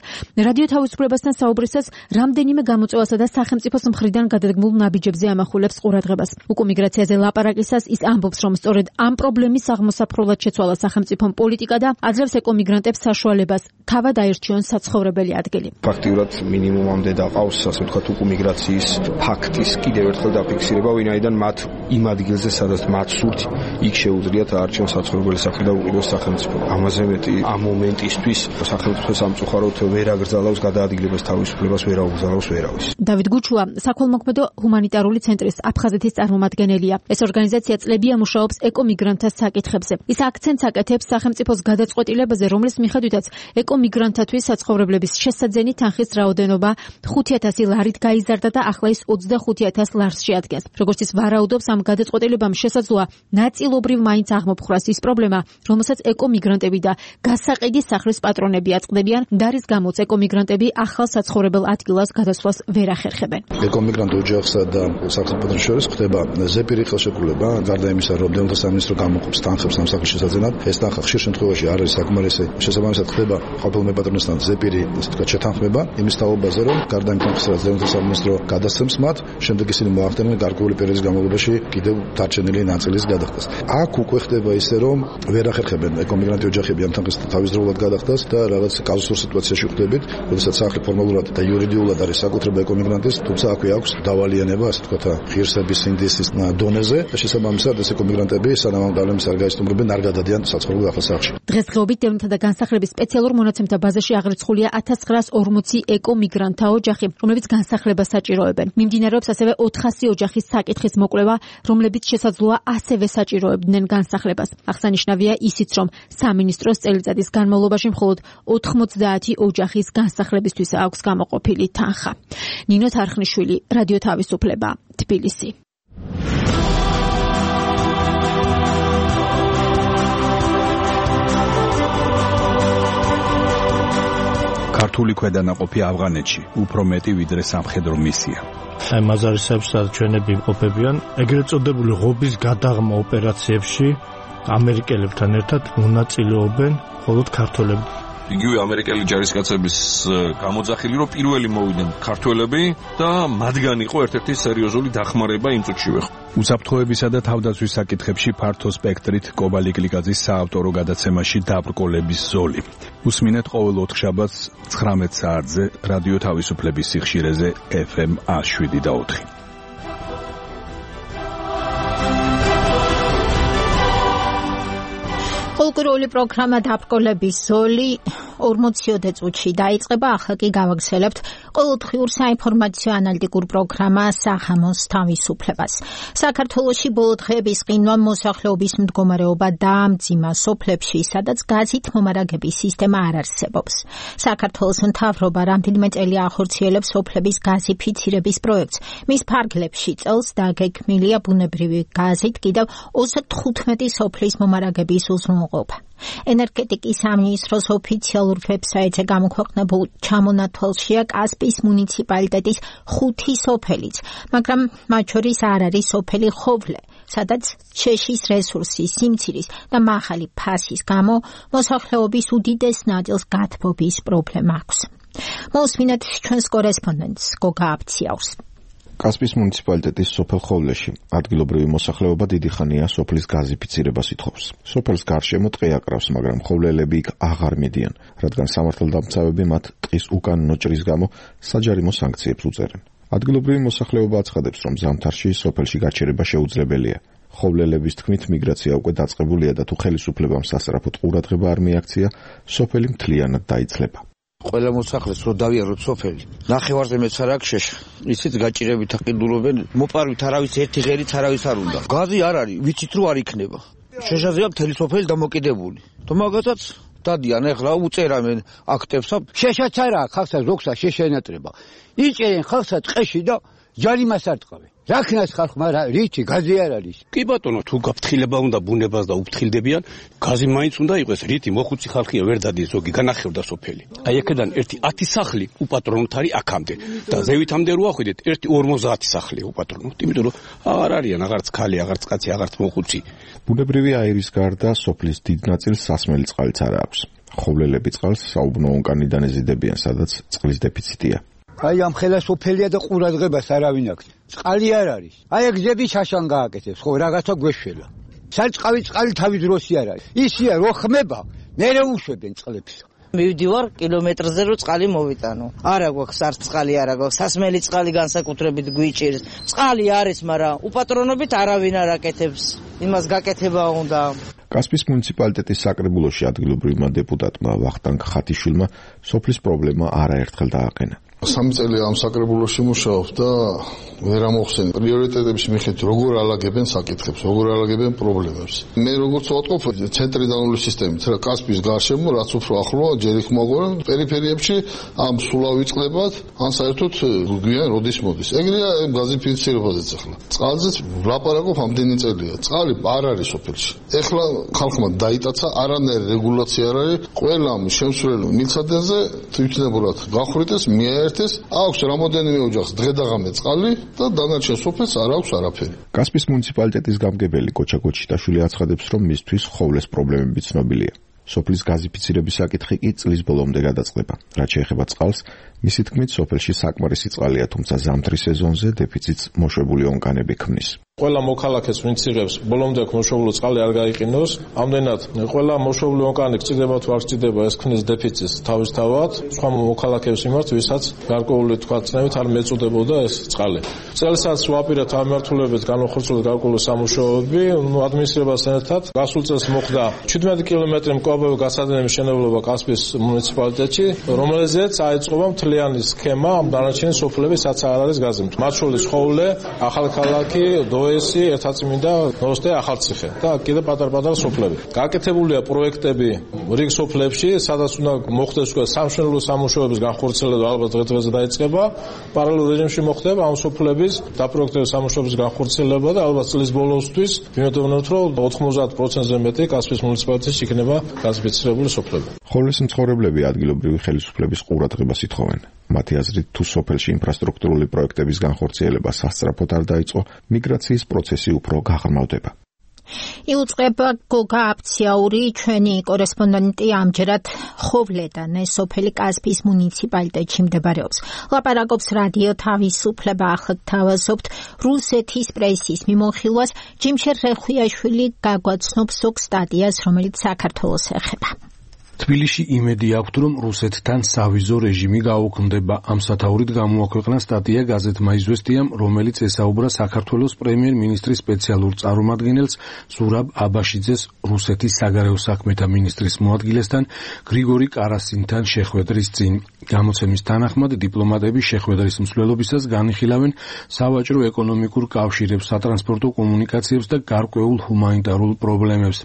S7: რადიო თავისუფლებასთან საუბრისას რამდენიმე გამოწვევასა და სახელმწიფოს მხრიდან გადადგმულ ნაბიჯებზე ამახვილებს ყურადღებას. უკუმიგრაციაზე ლაპარაკისას ის ამბობს, რომ სწორედ ამ პრობლემის აღმოსაფრთხებლად შეცვალა სახელმწიფო პოლიტიკა და აძლევს ეკომიგრანტებს საშუალებას თავად აირჩიონ საცხოვრებელი ადგილი.
S16: ფაქტიურად მინიმუმამდე დაყავს, ასე ვთქვათ, უკუმიგრაციის ფაქტის კიდევ ერთხელ დაფიქსირება, ვინაიდან მათ იმ ადგილზე, სადაც მათ სურთ, იქ შეუძლიათ აარჩიონ საცხოვრებელი სახლი და უყიდოს სახელმწიფო. ამაზე მეტი ამ მომენტისთვის სახელმწიფო სამწუხაროდ ვერ აგრძელავს გადაადგილებას თავისუფლებას, ვერ აუგზავნოს ვერავის.
S7: დავით გუჩუა, საქველმოქმედო ჰუმანიტარული ცენტრის აფხაზეთის წარმომადგენელია. ეს ორგანიზაცია წლებია მუშაობს ეკომიგრანტთა საკითხებზე. ის აქცენტს აკეთებს სახელმწიფოს გადაწყვეტილებაზე, რომლის მიხედვითაც ეკომიგრანტთათვის საცხოვრებლების შესაძენი თანხის რაოდენობა 5000 ლარით გაიზარდა და ახლა ის 25000 ლარს შეადგენს. როგორც ის ვარაუდობს, ამ გადაწყვეტილებამ შესაძლოა ნაწილობრივ მაინც აღმოფხვრას ის პრობლემა, რომელსაც ეკომიგრანტები და გასაყიდი სახლის პატრონები აწყდებიან, და რის გამოც ეკომიგრანტები ახალ საცხოვრებელ ადგილას გადასვლას ვერ ახერხებენ.
S17: ეკომიგრანტ ოჯახსა და სახელმწიფოს შორის ხდება ზეპირი ხელშეკრულება, გარდა იმისა, რომ დევნთა სამინისტრო გამოყოფს თანხებს ამ სახლის შესაძენად, ეს თანხა ხშირ შემთხვევაში არ არის საკმარისი. შესაბამისად ხდება ყოფილ მეპატრონესთან ზეპირი, ასე ვთქვათ, შეთანხმება იმის თაობაზე, რომ გარდა იმ თანხისა, რაც დევნთა სამინისტრო გადასცემს მათ, შემდეგ ისინი მოახდენენ გარკვეული პერიოდის განმავლობაში კიდევ დარჩენილი ნაწილის გადახდას. აქ უკვე ხდება ისე, რომ ვერ ახერხებენ ეკომიგრანტი ოჯახები ამ თანხის თავისდროულად გადახდას და რაღაც კაზუსურ სიტუაციაში ხდებით, როდესაც სახლი ფორმალურად და იურიდიულად არის საკუთრება ეკომიგრანტის, თუმცა აქვე აქვს დავალიანება, ასე ვთქვათ, ღირსების ინდესის დონეზე და შესაბამისად ეს ეკომიგრანტები სანამ ამ პრობლემის არ გაიზრდებიან, არ გადადიან საცხოვრებელ ახალ სახლში.
S7: დღესდღეობით დევნთა და განსახლების სპეციალურ მონაცემთა ბაზაში აღრიცხულია 1940 ეკომიგრანტთა ოჯახი, რომლებიც განსახლებას საჭიროებენ. მიმდინარეობს ასევე 400 ოჯახის საკითხის მოკვლევა, რომლებიც შესაძლოა ასევე საჭიროებდნენ განსახლებას. აღსანიშნავია ისიც, რომ სამინისტროს წელიწადის განმავლობაში მხოლოდ 90 ოჯახის განსახლებისთვის აქვს გამოყოფილი თანხა. ნინო თარხნიშვილი, რადიო თავისუფლება, თბილისი.
S14: ქართული ქვედანაყოფი ავღანეთში უფრო მეტი ვიდრე სამხედრო მისია.
S18: აი მაზარისეებს და ჩვენები ყოფებიან ეგრეთ წოდებული ღობის გადაღმა ოპერაციებში ამერიკელებთან ერთად მონაწილეობენ მხოლოდ ქართველები.
S19: იგივე ამერიკელი ჯარისკაცების გამოძახილი, რომ პირველი მოვიდნენ ქართველები და მათგან იყო ერთ-ერთი სერიოზული დახმარება იმ წუთშივე.
S14: უსაფრთხოებისა და თავდაცვის საკითხებში ფართო სპექტრით კობალი კლიკაძის საავტორო გადაცემაში დაბრკოლების ზოლი. უსმინეთ ყოველ ოთხშაბათს 19 საათზე რადიო თავისუფლების სიხშირეზე FM 107.4.
S2: ყოველკვირეული პროგრამა დაბრკოლების ზოლი 40 წუთში დაიწყება, ახლა კი გავაგრძელებთ ყოველდღიურ საინფორმაციო ანალიტიკურ პროგრამა საღამოს თავისუფლებას. საქართველოში ბოლო დღეების ყინვა მოსახლეობის მდგომარეობა დაამძიმა სოფლებში, სადაც გაზით მომარაგების სისტემა არ არსებობს. საქართველოს მთავრობა რამდენიმე წელი ახორციელებს სოფლების გაზიფიცირების პროექტს. მის ფარგლებში წელს დაგეგმილია ბუნებრივი გაზით კიდევ 35 სოფლის მომარაგების უზრუნველყოფა. ენერგეტიკის სამინისტროს ოფიციალურ ვებსაიტზე გამოქვეყნებულ ჩამონათვალშია კასპიის მუნიციპალიტეტის 5 სოფელიც, მაგრამ მათ შორის არ არის სოფელი ხოვლე, სადაც შეშის რესურსის, სიმცირის და მაღალი ფასის გამო მოსახლეობის უდიდეს ნაწილს გათბობის პრობლემა აქვს. მოსმინეთ ჩვენს კორესპონდენტს გოგა აბციაურს.
S20: კასპიის მუნიციპალიტეტის სოფელ ხოვლეში ადგილობრივი მოსახლეობა დიდი ხანია სოფლის გაზიფიცირებას ითხოვს. სოფელს გარშემო ტყე აკრავს, მაგრამ ხოვლელები იქ აღარ მიდიან, რადგან სამართალდამცავები მათ ტყის უკანონო ჭრის გამო საჯარიმო სანქციებს უწერენ. ადგილობრივი მოსახლეობა აცხადებს, რომ ზამთარში სოფელში გაჩერება შეუძლებელია. ხოვლელების თქმით, მიგრაცია უკვე დაწყებულია და თუ ხელისუფლებამ სასწრაფოდ ყურადღება არ მიაქცია, სოფელი მთლიანად დაიცლება.
S21: ყველა მოსახლეს რო დავიაროთ სოფელი. ნახევარზე მეც არ აქვს შეშ. იცით გაჭირებით აყიდულობენ, მოპარვით არავის ერთი ღერით არავის არ უნდა. გაზი არ არის, ვიცით რო არ იქნება. შეშაზეა მთელი სოფელი დამოკიდებული. თუ მაგათაც დადიან ახლა უწერამენ აქტებსა. შეშაც არა, ხალხსაც ზოგსა შეშენატრება. იჭერენ ხალხსაც ტყეში და ჯარიმას არ ტყავენ. რაკნას ხალხმა რითი გაზი არ არის.
S22: კი ბატონო, თუ გაფრთხილება უნდა ბუნებას და უფრთხილდებიან, გაზი მაინც უნდა იყოს, რითი მოხუცი ხალხია ვერ დადიან ზოგი განახევდა სოფელი. აი აქედან ერთი 10 სახლი უპატრონოთ არის აქამდე და ზევითამდე რო ახვიდეთ, ერთი 50 სახლია უპატრონოთ, იმიტომ რომ აღარ არიან აღარც ქალი, აღარც კაცი, აღარც მოხუცი.
S20: ბუნებრივი აირის გარდა სოფლის დიდ ნაწილს სასმელი წყალიც არ აქვს. ხოვლელები წყალს საუბნო ონკანიდან ეზიდებიან, სადაც წყლის დეფიციტია.
S21: აი ამ ხელა სოფელია და ყურადღებას არავინ აქვს. წყალი არ არის. აი გზები შაშან გააკეთებს, ხო რაღაცა გვეშველა. საწყავი წყალი თავი დროსი არ არის. ისია რო ხმება, მერე უშვებენ წყლებს.
S23: მივდივარ კილომეტრზე რო წყალი მოვიტანო. არა გვაქვს არც წყალი, არა გვაქვს. სასმელი წყალი განსაკუთრებით გვიჭირს. წყალი არის, მაგრამ უპატრონობით არავინ არ აკეთებს. იმას გაკეთება უნდა.
S20: კასპიის მუნიციპალიტეტის საკრებულოში ადგილობრივმა დეპუტატმა ვახტანგ ხათიშვილმა სოფლის პრობლემა არაერთხელ დააყენა.
S12: 3 წელი ამ საკრებულოში მუშაობ და ვერ ამოხსენ პრიორიტეტების მიხედვით როგორ ალაგებენ საკითხებს, როგორ ალაგებენ პრობლემებს. მე როგორც ვატყობ ცენტრალური სისტემით, რა კასპიის გარშემო რაც უფრო ახლოა ჯერ იქ მოგვარენ პერიფერიებში ამ სულავ იწყებათ, ან საერთოდ გვიან როდის მოდის. ეგრეა გაზიფიცირებაზეც ახლა. წყალზეც ვლაპარაკობ ამდენი წელია. წყალი არ არის სოფელში. ეხლა ხალხმა დაიტაცა, არანაირი რეგულაცია არ არის. ყველა შემსვლელ მილსადენზე თვითნებურად გახვრიტეს, მიაერთეს, აქვს რამოდენიმე ოჯახს დღე-დაღამე წყალი და დანარჩენ სოფელს არ აქვს არაფერი.
S20: კასპიის მუნიციპალიტეტის გამგებელი კოჩა გოჩიტაშვილი აცხადებს, რომ მისთვის ხოვლეს პრობლემები ცნობილია. სოფლის გაზიფიცირების საკითხი კი წლის ბოლომდე გადაწყდება. რაც შეეხება წყალს, მისი თქმით, სოფელში საკმარისი წყალია, თუმცა ზამთრის სეზონზე დეფიციტს მოშვებული ონკანები ქმნის.
S6: ყველა მოქალაქეს ვინც იღებს ბოლომდე მოშობილო წყალი არ გაიყინოს. ამდენად ყველა მოშობილი ონკანი გწიდება თუ არ გწიდება, ეს ქმნის დეფიციტს თავისთავად სხვა მოქალაქეების მიმართ, ვისაც გარკვეული თქვა წნევით არ მეწოდებოდა ეს წყალი. წელსაც ვაპირებთ ამ მმართველობით განახორციელოთ გარკვეული სამუშაოები, ადმინისტრაციასთან ერთად. გასულ წელს მოხდა 17 კილომეტრი მკლავებრივი გასადენების მშენებლობა კასპიის მუნიციპალიტეტში, რომელზეც აიწყობა მთლიანი სქემა ამ დანარჩენი სოფლების, სადაც არ არის გაზი. მათ შორის ხოვლე, ახალქალაქი, ესი ერთაწმინდა ნოსტე ახალციხე და კიდე პატარ-პატარა სოფლები. გაკეთებულია პროექტები რიგ სოფლებში, სადაც უნდა მოხდეს სამშენებლო სამუშაოების განხორციელება, ალბათ დღე-დღეზე დაიწყება. პარალელურ რეჟიმში მოხდება ამ სოფლების დაპროექტების სამუშაოების განხორციელება და ალბათ წლის ბოლოსთვის ვიმედოვნებთ, რომ 90%-ზე მეტი კასპიის მუნიციპალიტეტში იქნება გაზიფიცირებული სოფლები.
S20: ხოვლის მცხოვრებლები ადგილობრივი ხელისუფლების ყურადღებას ითხოვენ. მათი აზრით, თუ სოფელში ინფრასტრუქტურული პროექტების განხორციელება სასწრაფოდ არ დაიწყო, მიგრაციის პროცესი უფრო გაღრმავდება.
S2: იუწყება გოგა აბციაური, ჩვენი კორესპონდენტი ამჯერად ხოვლედან, ეს სოფელი კასპიის მუნიციპალიტეტში მდებარეობს. ლაპარაკობს რადიო თავისუფლება, ახლა თავაზობთ რუსეთის პრესის მიმოხილვას. ჯიმშერ რეხვიაშვილი გაგვაცნობს ზოგ სტატიას, რომელიც საქართველოს ეხება.
S3: თბილისში იმედი აქვთ, რომ რუსეთთან სავიზო რეჟიმი გაუქმდება. ამ სათაურით გამოაქვეყნა სტატია გაზეთმა „იზვესტიამ“, რომელიც ესაუბრა საქართველოს პრემიერ-მინისტრის სპეციალურ წარმომადგენელს ზურაბ აბაშიძეს რუსეთის საგარეო საქმეთა მინისტრის მოადგილესთან გრიგორი კარასინთან შეხვედრის წინ. გამოცემის თანახმად დიპლომატები შეხვედრის მსვლელობისას განიხილავენ სავაჭრო ეკონომიკურ კავშირებს, სატრანსპორტო კომუნიკაციებს და გარკვეულ ჰუმანიტარულ პრობლემებს.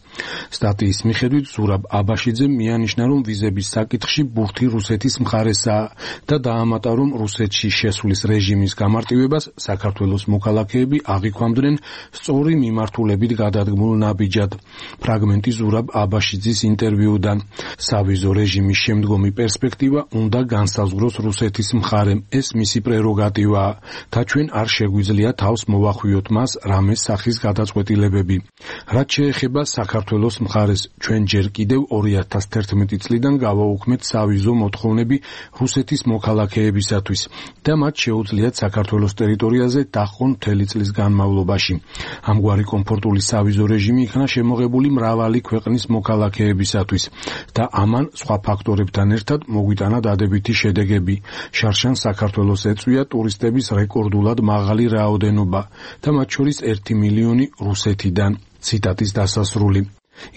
S3: სტატიის მიხედვით ზურაბ აბაშიძე ნიშნა, რომ ვიზების საკითხში ბურთი რუსეთის მხარესაა და დაამატა, რომ რუსეთში შესვლის რეჟიმის გამარტივებას საქართველოს მოქალაქეები აღიქვამდნენ სწორი მიმართულებით გადადგმულ ნაბიჯად. ფრაგმენტი ზურაბ აბაშიძის ინტერვიუდან. სავიზო რეჟიმის შემდგომი პერსპექტივა უნდა განსაზღვროს რუსეთის მხარემ. ეს მისი პრეროგატივაა და ჩვენ არ შეგვიძლია თავს მოვახვიოთ მას რამე სახის გადაწყვეტილებები. რაც შეეხება საქართველოს მხარეს, ჩვენ ჯერ კიდევ 2011 წლიდან გავაუქმეთ სავიზო მოთხოვნები რუსეთის მოქალაქეებისათვის და მათ შეუძლიათ საქართველოს ტერიტორიაზე დაჰყონ მთელი წლის განმავლობაში. ამგვარი კომფორტული სავიზო რეჟიმი იქნა შემოღებული მრავალი ქვეყნის მოქალაქეებისათვის და ამან სხვა ფაქტორებთან ერთად მოგვიტანა დადებითი შედეგები. შარშან საქართველოს ეწვია ტურისტების რეკორდულად მაღალი რაოდენობა და მათ შორის 1 მილიონი რუსეთიდან. ციტატის დასასრული.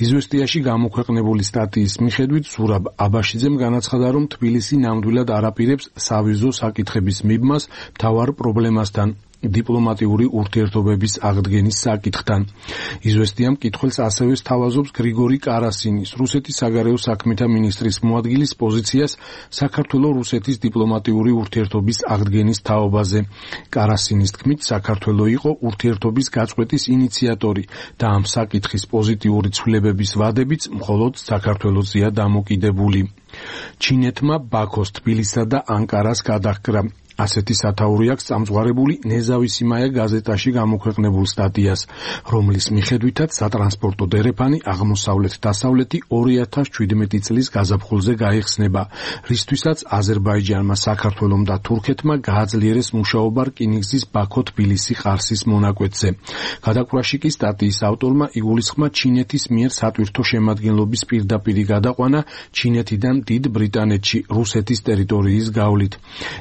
S3: იზვესტიაში გამოქვეყნებული სტატიის მიხედვით ზურაბ აბაშიძემ განაცხადა, რომ თბილისი ნამდვილად არ აპირებს სავიზო საკითხების მიბმას მთავარ პრობლემასთან, დიპლომატიური ურთიერთობების აღდგენის საკითხთან. იზვესტიამ მკითხველს ასევე სთავაზობს გრიგორი კარასინის, რუსეთის საგარეო საქმეთა მინისტრის მოადგილის პოზიციას საქართველო-რუსეთის დიპლომატიური ურთიერთობის აღდგენის თაობაზე. კარასინის თქმით, საქართველო იყო ურთიერთობის გაწყვეტის ინიციატორი და ამ საკითხის პოზიტიური ცვლილებების ვადებიც მხოლოდ საქართველოსია დამოკიდებული. ჩინეთმა ბაქოს, თბილისსა და ანკარას გადაჰკრა. ასეთი სათაური აქვს წამსვარებული ნეზავისიმაია გაზეტაში გამოქვეყნებულ სტატიას, რომლის მიხედვითაც სატრანსპორტო დერეფანი აღმოსავლეთ-დასავლეთი 2017 წლის გაზაფხულზე გაიხსნება, რისთვისაც აზერბაიჯანმა, საქართველომ და თურქეთმა გააძლიერეს მუშაობა რკინიგზის ბაქო-თბილისი ყარსის მონაკვეთზე. გადაკვრაში კი სტატიის ავტორმა იგულისხმა ჩინეთის მიერ სატვირთო შემადგენლობის პირდაპირი გადაყვანა ჩინეთიდან დიდ ბრიტანეთში, რუსეთის ტერიტორიის გავლით.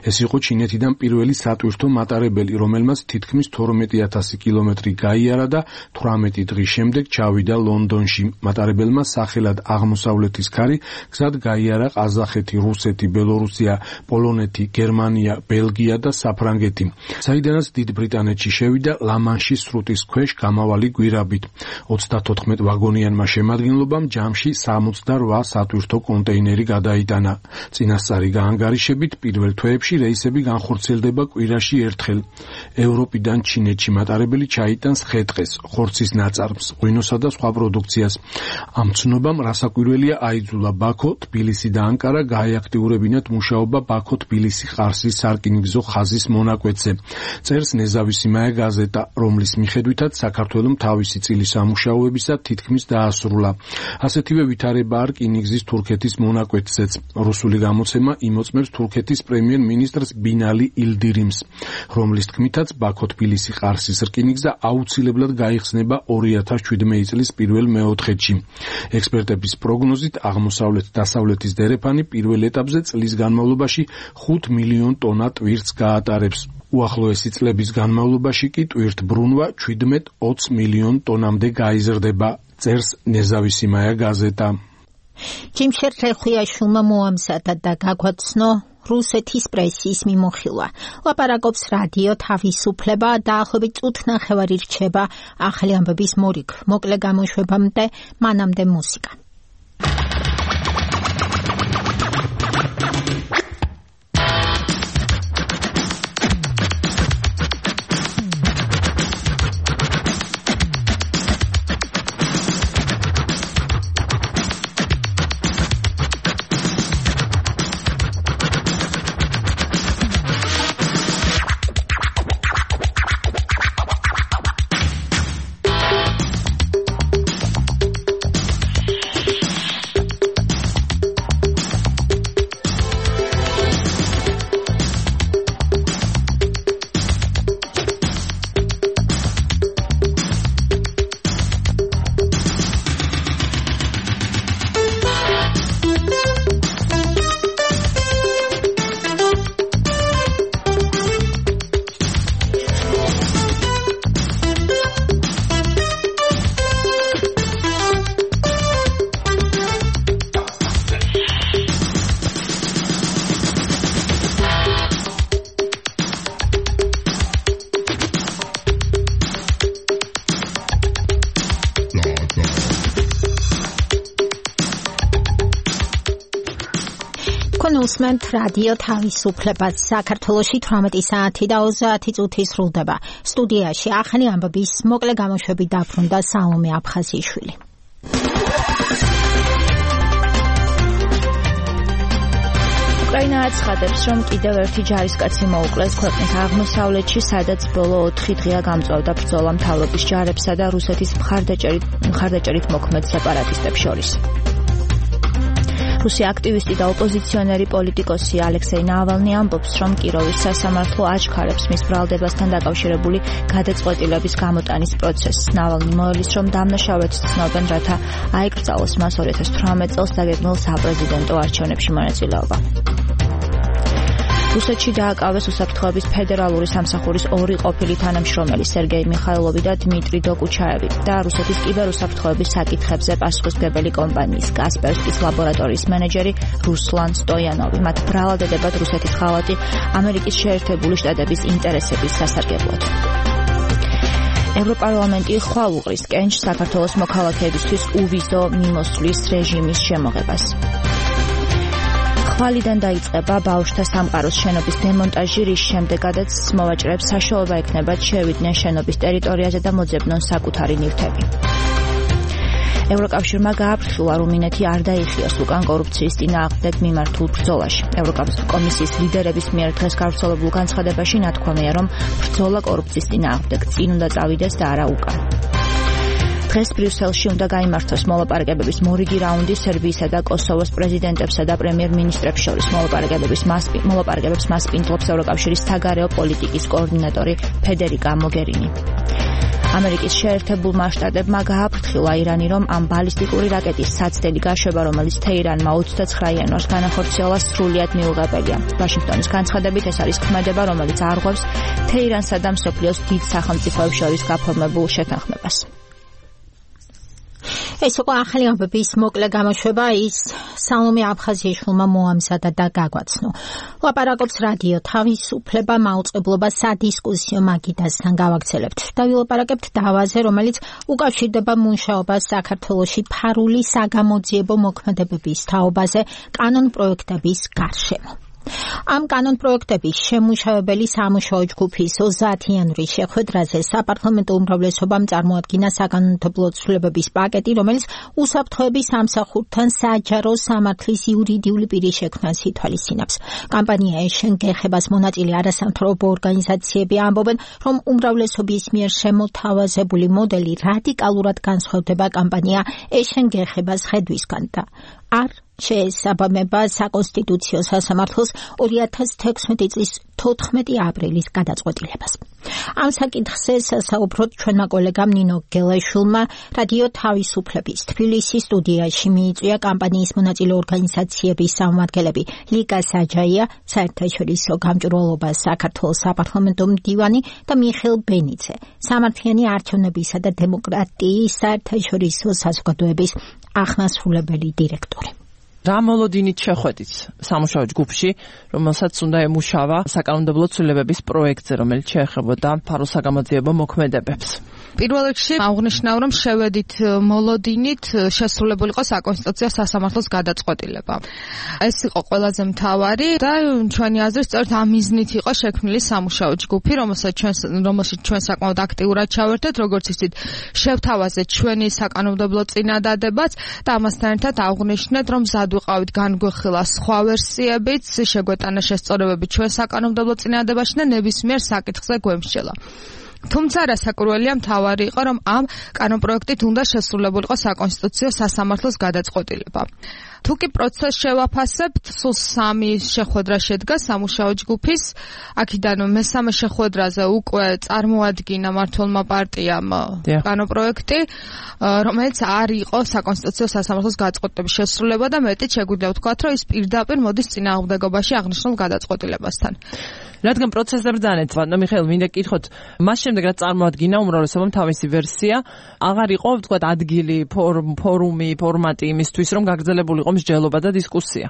S3: ეს იყო ჩინეთიდან პირველი სატვირთო მატარებელი, რომელმაც თითქმის 12,000 კილომეტრი გაიარა და 18 დღის შემდეგ ჩავიდა ლონდონში. მატარებელმა სახელად აღმოსავლეთის ქარი გზად გაიარა ყაზახეთი, რუსეთი, ბელორუსია, პოლონეთი, გერმანია, ბელგია და საფრანგეთი, საიდანაც დიდ ბრიტანეთში შევიდა ლა-მანშის სრუტის ქვეშ გამავალი გვირაბით. 34 ვაგონიანმა შემადგენლობამ ჯამში 68 სატვირთო კონტეინერი გადაიტანა. წინასწარი გაანგარიშებით პირველ თვეებში რეისები განხორციელდება კვირაში ერთხელ. ევროპიდან ჩინეთში მატარებელი ჩაიტანს ხე-ტყეს, ხორცის ნაწარმს, ღვინოსა და სხვა პროდუქციას. ამ ცნობამ რასაკვირველია აიძულა ბაქო, თბილისი და ანკარა გაეაქტიურებინათ მუშაობა ბაქო-თბილისი ყარსის სარკინიგზო ხაზის მონაკვეთზე. წერს ნეზავისიმაია გაზეტა, რომლის მიხედვითაც საქართველომ თავისი წილის სამუშაოებისა თითქმის დაასრულა. ასეთივე ვითარებაა რკინიგზის თურქეთის მონაკვეთზეც. რუსული გამოცემა იმოწმებს თურქეთის პრემიერ-მინისტრს ბინალი ილდირიმს, რომლის თქმითაც ბაქო-თბილისი ყარსის რკინიგზა აუცილებლად გაიხსნება 2017 წლის პირველ მეოთხედში. ექსპერტების პროგნოზით აღმოსავლეთ-დასავლეთის დერეფანი პირველ ეტაპზე წლის განმავლობაში 5 მილიონ ტონა ტვირთს გაატარებს. უახლოესი წლების განმავლობაში კი ტვირთბრუნვა 17-20 მილიონ ტონამდე გაიზრდება, წერს ნეზავისიმაია გაზეტა.
S2: ჯიმშერ ხეხვიაშვილმა მოამზადა და გაგვაცნო რუსეთის პრესის მიმოხილვა. ლაპარაკობს რადიო თავისუფლება, დაახლოებით წუთნახევარი რჩება ახალი ამბების მორიგ. მოკლე გამოშვებამდე, მანამდე მუსიკა. უსმენთ რადიო თავისუფლებას. საქართველოში 18 საათი და 30 წუთი სრულდება. სტუდიაში ახალი ამბების მოკლე გამოშვებით დაბრუნდა სალომე აფხაზიშვილი.
S1: უკრაინა აცხადებს, რომ კიდევ ერთი ჯარისკაცი მოუკლეს ქვეყნის აღმოსავლეთში, სადაც ბოლო 4 დღეა გამწვავდა ბრძოლა მთავრობის ჯარებსა და რუსეთის მხარდაჭერით მოქმედ სეპარატისტებს შორის. რუსი აქტივისტი და ოპოზიციონერი პოლიტიკოსი ალექსეი ნავალნი ამბობს, რომ კიროვის სასამართლო აჩქარებს მის ბრალდებასთან დაკავშირებული გადაწყვეტილების გამოტანის პროცესს. ნავალნი მოელის, რომ დამნაშავედ ცნობენ, რათა აეკრძალოს მას 2018 წელს დაგეგმილ საპრეზიდენტო არჩევნებში მონაწილეობა. რუსეთში დააკავეს უსაფრთხოების ფედერალური სამსახურის 2 ყოფილი თანამშრომელი სერგეი მიხაილოვი და დმიტრი დოკუჩაევი და რუსეთის კიბერუსაფრთხოების საკითხებზე პასუხისმგებელი კომპანიის კასპერსკის ლაბორატორიის მენეჯერი რუსლან სტოიანოვი. მათ ბრალადებად რუსეთის ხალხი ამერიკის შეერთებული შტატების ინტერესების სასარგებლოდ. ევროპარლამენტი ხვალ უყრის კენჭს საქართველოს მოქალაქეებისთვის უვიზო მიმოსვლის რეჟიმის შემოღებას. ხვალიდან დაიწყება ბავშვთა სამყაროს შენობის დემონტაჟი, რის შემდეგაც მოვაჭრეებს საშუალება ექნებათ შევიდნენ შენობის ტერიტორიაზე და მოძებნონ საკუთარი ნივთები. ევროკავშირმა გააფრთხილა, რომ რუმინეთი არ დაიხიოს უკან კორუფციის წინააღმდეგ მიმართულ ბრძოლაში. ევროკომისიის ლიდერების მიერ დღეს გავრცელებულ განცხადებაში ნათქვამია, რომ ბრძოლა კორუფციის წინააღმდეგ წინ უნდა წავიდეს და არა უკან. დღეს ბრიუსელში უნდა გაიმართოს მოლაპარაკებების მორიგი რაუნდი სერბიისა და კოსოვოს პრეზიდენტებსა და პრემიერ-მინისტრებს შორის. მოლაპარაკებებს მასპინძლობს ევროკავშირის საგარეო პოლიტიკის კოორდინატორი ფედერიკა მოგერინი. ამერიკის შეერთებულმა შტატებმა გააფრთხილა ირანი, რომ ამ ბალისტიკური რაკეტის საცდელი გაშვება, რომელიც თეირანმა 29 იანვარს განახორციელა, სრულიად მიუღებელია. ვაშინგტონის განცხადებით ეს არის ქმედება, რომელიც არღვევს თეირანსა და მსოფლიოს დიდ სახელმწიფოებს შორის გაფორმებულ შეთანხმებას. ეს იყო ახალი ამბების მოკლე გამოშვება, ის სალომე აფხაზიაშვილმა მოამზადა და გაგვაცნო. ლაპარაკობს რადიო თავისუფლება, მაუწყებლობა სადისკუსიო მაგიდასთან გავაგრძელებთ. ვილაპარაკებთ დავაზე, რომელიც უკავშირდება მუშაობას საქართველოში ფარული საგამოძიებო მოქმედებების თაობაზე კანონპროექტების გარშემო. ამ კანონპროექტების შემუშავებელი სამუშაო ჯგუფის 30 იანვრის შეხვედრაზე საპარლამენტო უმრავლესობამ წარმოადგინა საკანონმდებლო ცვლილებების პაკეტი, რომელიც უსაფრთხოების სამსახურთან საჯარო სამართლის იურიდიული პირის შექმნას ითვალისწინებს. კამპანია ეშენ გეხებას მონაწილე არასამთავრობო ორგანიზაციები ამბობენ, რომ უმრავლესობის მიერ შემოთავაზებული მოდელი რადიკალურად განსხვავდება კამპანია ეშენ გეხებას ხედვისგან და არ შეესაბამება საკონსტიტუციო სასამართლოს 2016 წლის 14 აპრილის გადაწყვეტილებას. ამ საკითხზე სასაუბროდ ჩვენმა კოლეგამ ნინო გელაშვილმა რადიო თავისუფლების თბილისის სტუდიაში მიიწვია კამპანიის მონაწილე ორგანიზაციების სამმართველები ლიკა საჯაია, საერთაშორისო გამჭვირვალობა საქართველოს საპარლამენტო მდივანი და მიხეილ ბენიძე, სამართლიანი არჩევნებისა და დემოკრატიის საერთაშორისო საზოგადოების აღმასრულებელი დირექტორი.
S4: რა მოლოდინით შეხვედით სამუშაო ჯგუფში, რომელსაც უნდა ემუშავა საკანონმდებლო ცვლილებების პროექტზე, რომელიც შეეხებოდა ფარულ საგამოძიებო მოქმედებებს.
S8: პირველ რიგში აღნიშნავ, რომ შევედით მოლოდინით შესრულებული იყო საკონსტიტუციო სასამართლოს გადაწყვეტილება. ეს იყო ყველაზე მთავარი და ჩვენი აზრით სწორედ ამ მიზნით იყო შექმნილი სამუშაო ჯგუფი, რომელშიც ჩვენ საკმაოდ აქტიურად ჩავერთეთ, როგორც იცით, შევთავაზეთ ჩვენი საკანონმდებლო წინადადებაც და ამასთან ერთად აღნიშნეთ, რომ ვიყავით განგვეხილა სხვა ვერსიებიც, შეგვეტანა შესწორებები ჩვენ საკანონმდებლო წინადადებაში და ნებისმიერ საკითხზე გვემსჯელა. თუმცა რასაკვირველია მთავარი იყო, რომ ამ კანონპროექტით უნდა შესრულებულიყო საკონსტიტუციო სასამართლოს გადაწყვეტილება. თუ კი პროცესს შევაფასებთ, სულ 3 შეხვედრა შედგა სამუშაო ჯგუფის. აქედან მესამე შეხვედრაზე უკვე წარმოადგინა მმართველმა პარტიამ კანონპროექტი, რომელიც არ იყო საკონსტიტუციო სასამართლოს გადაწყვეტილების შესრულება და მეტიც შეგვიძლია ვთქვათ, რომ ის პირდაპირ მოდის წინააღმდეგობაში აღნიშნულ გადაწყვეტილებასთან.
S4: რადგან პროცესზე ბრძანეთ, მიხეილ, მინდა გითხოთ, მას შემდეგ რაც წარმოადგინა უმრავლესობამ თავისი ვერსია, აღარ იყო, ვთქვათ, ადგილი, ფორუმი, ფორმატი იმისთვის, რომ გაგრძელებულიყო მსჯელობა და დისკუსია.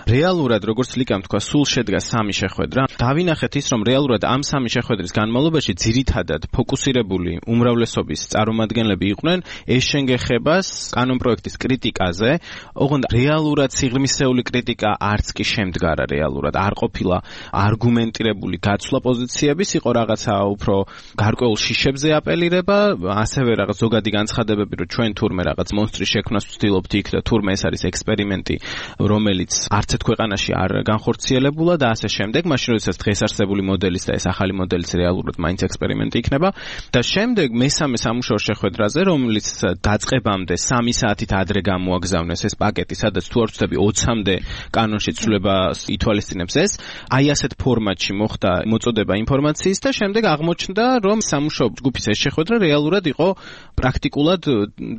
S5: რეალურად როგორც ლიკამ თქვა, სულ შედგა 3 შეხვედრა. დავინახეთ ის, რომ რეალურად ამ 3 შეხვედრის განმავლობაში ძირითადად ფოკუსირებული უმრავლესობის წარმომადგენლები იყვნენ ეს შენგეხებას კანონპროექტის კრიტიკაზე. ოღონდ რეალურად სიღრმისეული კრიტიკა არც კი შემდგარა რეალურად. არ ყოფილა არგუმენტირებული გაცვლა პოზიციების, იყო რაღაცა უფრო გარკვეულ შიშებზე აპელირება, ასევე რაღაც ზოგადი განცხადებები, რომ ჩვენ თურმე რაღაც მონსტრის შექმნას ვცდილობთ იქ და თურმე ეს არის ექსპერიმენტი, რომელიც არც ერთ ქვეყანაში არ განხორციელებულა და ასე შემდეგ. მაშინ როდესაც დღეს არსებული მოდელის და ეს ახალი მოდელის რეალურად მაინც ექსპერიმენტი იქნება და შემდეგ მესამე სამუშაო შეხვედრაზე, რომელიც დაწყებამდე 3 საათით ადრე გამოაგზავნეს ეს პაკეტი, სადაც თუ არ ვცდები 20-მდე კანონში ცვლილებას ითვალისწინებს ეს, აი ასეთ ფორმატში მოხდა მოწოდება ინფორმაციის და შემდეგ აღმოჩნდა, რომ სამუშაო ჯგუფის ეს შეხვედრა რეალურად იყო პრაქტიკულად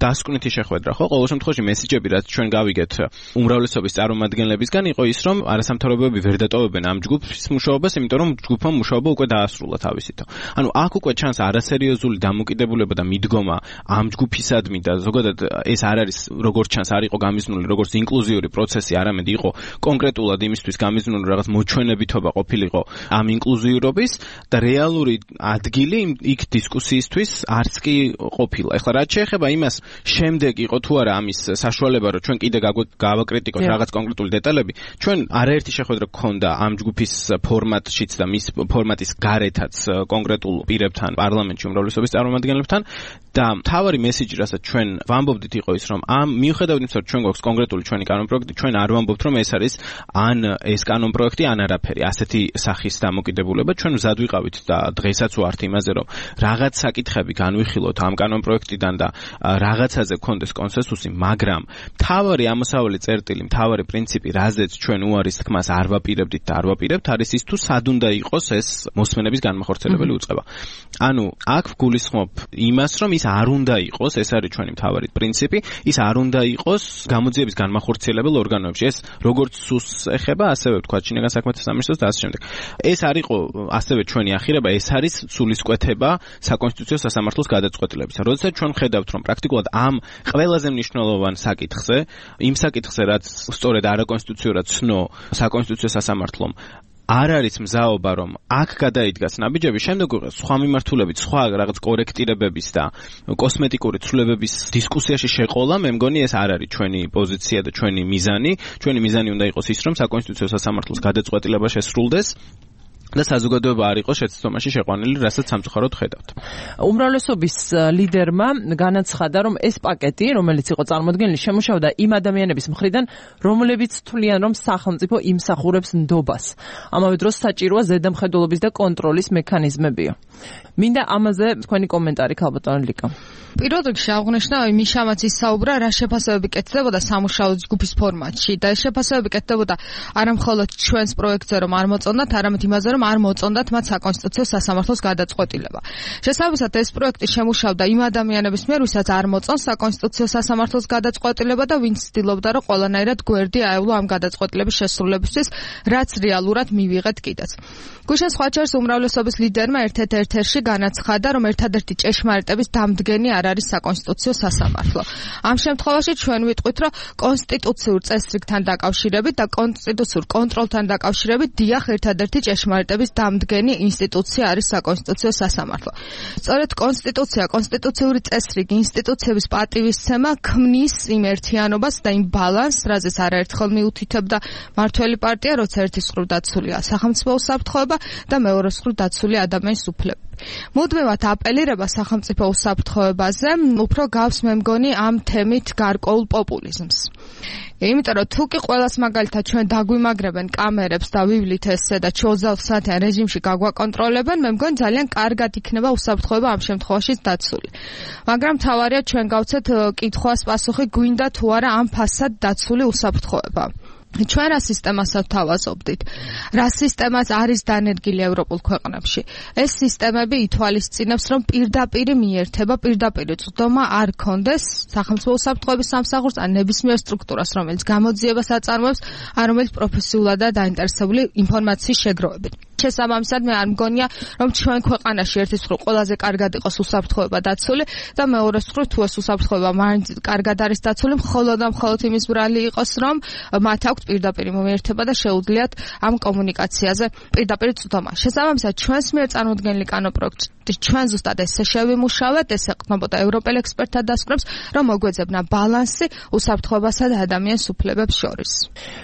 S5: დასკვნითი შეხვედრა, ხო? ყოველ შემთხვევაში მესიჯები, რაც ჩვენ გავიგეთ უმრავლესობის წარმომადგენლებისგან, იყო ის, რომ არასამთავრობოები ვერ დატოვებენ ამ ჯგუფის მუშაობას, იმიტომ რომ ჯგუფმა მუშაობა უკვე დაასრულა თავისით. ანუ აქ უკვე ჩანს არასერიოზული დამოკიდებულება და მიდგომა ამ ჯგუფისადმი და ზოგადად ეს არ არის, როგორც ჩანს, არ იყო გამიზნული როგორც ინკლუზიური პროცესი, არამედ იყო კონკრეტულად იმისთვის გამიზნული, რაღაც მოჩვენებითობა ყოფილიყო ამ ინკლუზიურობის და რეალური ადგილი იქ დისკუსიისთვის არც კი ყოფილა. ეხლა რაც შეეხება იმას, შემდეგ იყო თუ არა ამის საშუალება, რომ ჩვენ კიდე გავაკრიტიკოთ რაღაც კონკრეტული დეტალები, ჩვენ არაერთი შეხვედრა გქონდა ამ ჯგუფის ფორმატშიც და მის ფორმატის გარეთაც კონკრეტულ პირებთან, პარლამენტში უმრავლესობის წარმომადგენლებთან და მთავარი მესიჯი, რასაც ჩვენ ვამბობდით, იყო ის, რომ ამ მიუხედავად იმისა, რომ ჩვენ გვაქვს კონკრეტული ჩვენი კანონპროექტი, ჩვენ არ ვამბობთ, რომ ეს არის ან ეს კანონპროექტი ან არაფერი. ასეთი სახის დამოკიდებულება ჩვენ მზად ვიყავით და დღესაც ვართ იმაზე, რომ რაღაც საკითხები განვიხილოთ ამ კანონპროექტიდან და რაღაცაზე გქონდეს კონსენსუსი, მაგრამ მთავარი ამოსავალი წერტილი, მთავარი პრინციპი, რაზეც ჩვენ უარის თქმას არ ვაპირებდით და არ ვაპირებთ, არის ის, თუ სად უნდა იყოს ეს მოსმენების განმახორციელებელი უწყება. ანუ აქ გულისხმობ იმას, რომ ის არ უნდა იყოს, ეს არის ჩვენი მთავარი პრინციპი, ის არ უნდა იყოს გამოძიების განმახორციელებელ ორგანოებში. ეს როგორც სუს ეხება, ასევე ვთქვათ შინაგან საქმეთა სამინისტროს და ასე შემდეგ. ეს არ იყო ასევე ჩვენი ახირება, ეს არის სულისკვეთება საკონსტიტუციო სასამართლოს გადაწყვეტილებისა. როდესაც ჩვენ ხედავთ, რომ პრაქტიკულად ამ ყველაზე მნიშვნელოვან საკითხზე, იმ საკითხზე, რაც სწორედ არაკონსტიტუციურად ცნო საკონსტიტუციო სასამართლომ, არ არის მზაობა, რომ აქ გადაიდგას ნაბიჯები, შემდეგ სხვა მიმართულებით, სხვა რაღაც კორექტირებების და კოსმეტიკური ცვლილებების დისკუსიაში შეყოლა, მე მგონი ეს არ არის ჩვენი პოზიცია და ჩვენი მიზანი. ჩვენი მიზანი უნდა იყოს ის, რომ საკონსტიტუციო სასამართლოს გადაწყვეტილება შესრულდეს და საზოგადოება არ იყოს შეცდომაში შეყვანილი, რასაც სამწუხაროდ ხედავთ.
S4: უმრავლესობის ლიდერმა განაცხადა, რომ ეს პაკეტი, რომელიც იყო წარმოდგენილი, შემუშავდა იმ ადამიანების მხრიდან, რომლებიც თვლიან, რომ სახელმწიფო იმსახურებს ნდობას. ამავე დროს საჭიროა ზედამხედველობის და კონტროლის მექანიზმებია. მინდა ამაზე თქვენი კომენტარი, ქალბატონო ლიკა.
S8: პირველ რიგში აღნიშნა იმის შამაც ისაუბრა, რა შეფასებები კეთდებოდა სამუშაო ჯგუფის ფორმატში და ეს შეფასებები კეთდებოდა არა მხოლოდ ჩვენს პროექტზე, რომ არ მოწონდათ, არამედ იმაზე, რომ არ მოწონდათ მათ საკონსტიტუციო სასამართლოს გადაწყვეტილება. შესაბამისად, ეს პროექტი შემუშავდა იმ ადამიანების მიერ, ვისაც არ მოწონს საკონსტიტუციო სასამართლოს გადაწყვეტილება და ვინც ცდილობდა, რომ ყველანაირად გვერდი აევლო ამ გადაწყვეტილების შესრულებისთვის, რაც რეალურად მივიღეთ კიდეც. გუშინ სხვა ჩერს უმრავლესობის ლიდერმა ერთ-ერთში განაცხადა, რომ ერთადერთი ჭეშმარიტების დამდგენი არ არის საკონსტიტუციო სასამართლო. ამ შემთხვევაში ჩვენ ვიტყვით, რომ კონსტიტუციურ წესრიგთან დაკავშირებით და კონსტიტუციურ კონტროლთან დაკავშირებით დიახ, ერთადერთი ჭეშმარიტების დამდგენი ინსტიტუცია არის საკონსტიტუციო სასამართლო. სწორედ კონსტიტუცია, კონსტიტუციური წესრიგი, ინსტიტუციების პატივისცემა ქმნის იმ ერთიანობას და იმ ბალანსს, რაზეც არაერთხელ მიუთითებდა მართველი პარტია, როცა ერთის მხრივ დაცულია სახელმწიფო უსაფრთხოება და მეორეს მხრივ დაცულია ადამიანის უფლებები. მუდმივად აპელირება სახელმწიფო უსაფრთხოებაზე უფრო გავს მე მგონი ამ თემით გარკვეულ პოპულიზმს. იმიტომ რომ თუ კი ყველას მაგალითად ჩვენ დაგვიმაგრებენ კამერებს და ვივლით ესე და 24 საათიან რეჟიმში გაგვაკონტროლებენ, მე მგონი ძალიან კარგად იქნება უსაფრთხოება ამ შემთხვევაშიც დაცული. მაგრამ მთავარია ჩვენ გავცეთ კითხვას პასუხი, გვინდა თუ არა ამ ფასად დაცული უსაფრთხოება. ჩვენ რა სისტემას ვთავაზობდით? რა სისტემაც არის დანერგილი ევროპულ ქვეყნებში? ეს სისტემები ითვალისწინებს, რომ პირდაპირ მიერთება, პირდაპირ წვდომა არ კონდეს სახელმწიფო უსაფრთხოების სამსახურს ან ნებისმიერ სტრუქტურას, რომელიც გამოძიებას აწარმოებს, ან რომელიც პროფესიულადაა დაინტერესებული ინფორმაციის შეგროვებით. შესაბამისად მე არ მგონია რომ ჩვენ ქვეყანაში ერთის მხრივ ყველაზე კარგად იყოს უსაფრთხოება დაცული და მეორეს მხრივ თუ ეს უსაფრთხოება მაინც კარგად არის დაცული მხოლოდ და მხოლოდ იმის ბრალი იყოს რომ მათ აქვთ პირდაპირ მომიერთება და შეუძლიათ ამ კომუნიკაციაზე პირდაპირ წვდომა. შესაბამისად ჩვენს მიერ წარმოდგენილი კანონპროექტი ჩვენ ზუსტად ესე შევიმუშავეთ, ეს ეყრდნობოდა ევროპელ ექსპერტთა დასკვნებს, რომ მოგვეძებნა ბალანსი უსაფრთხოებასა და ადამიანის უფლებებს შორის.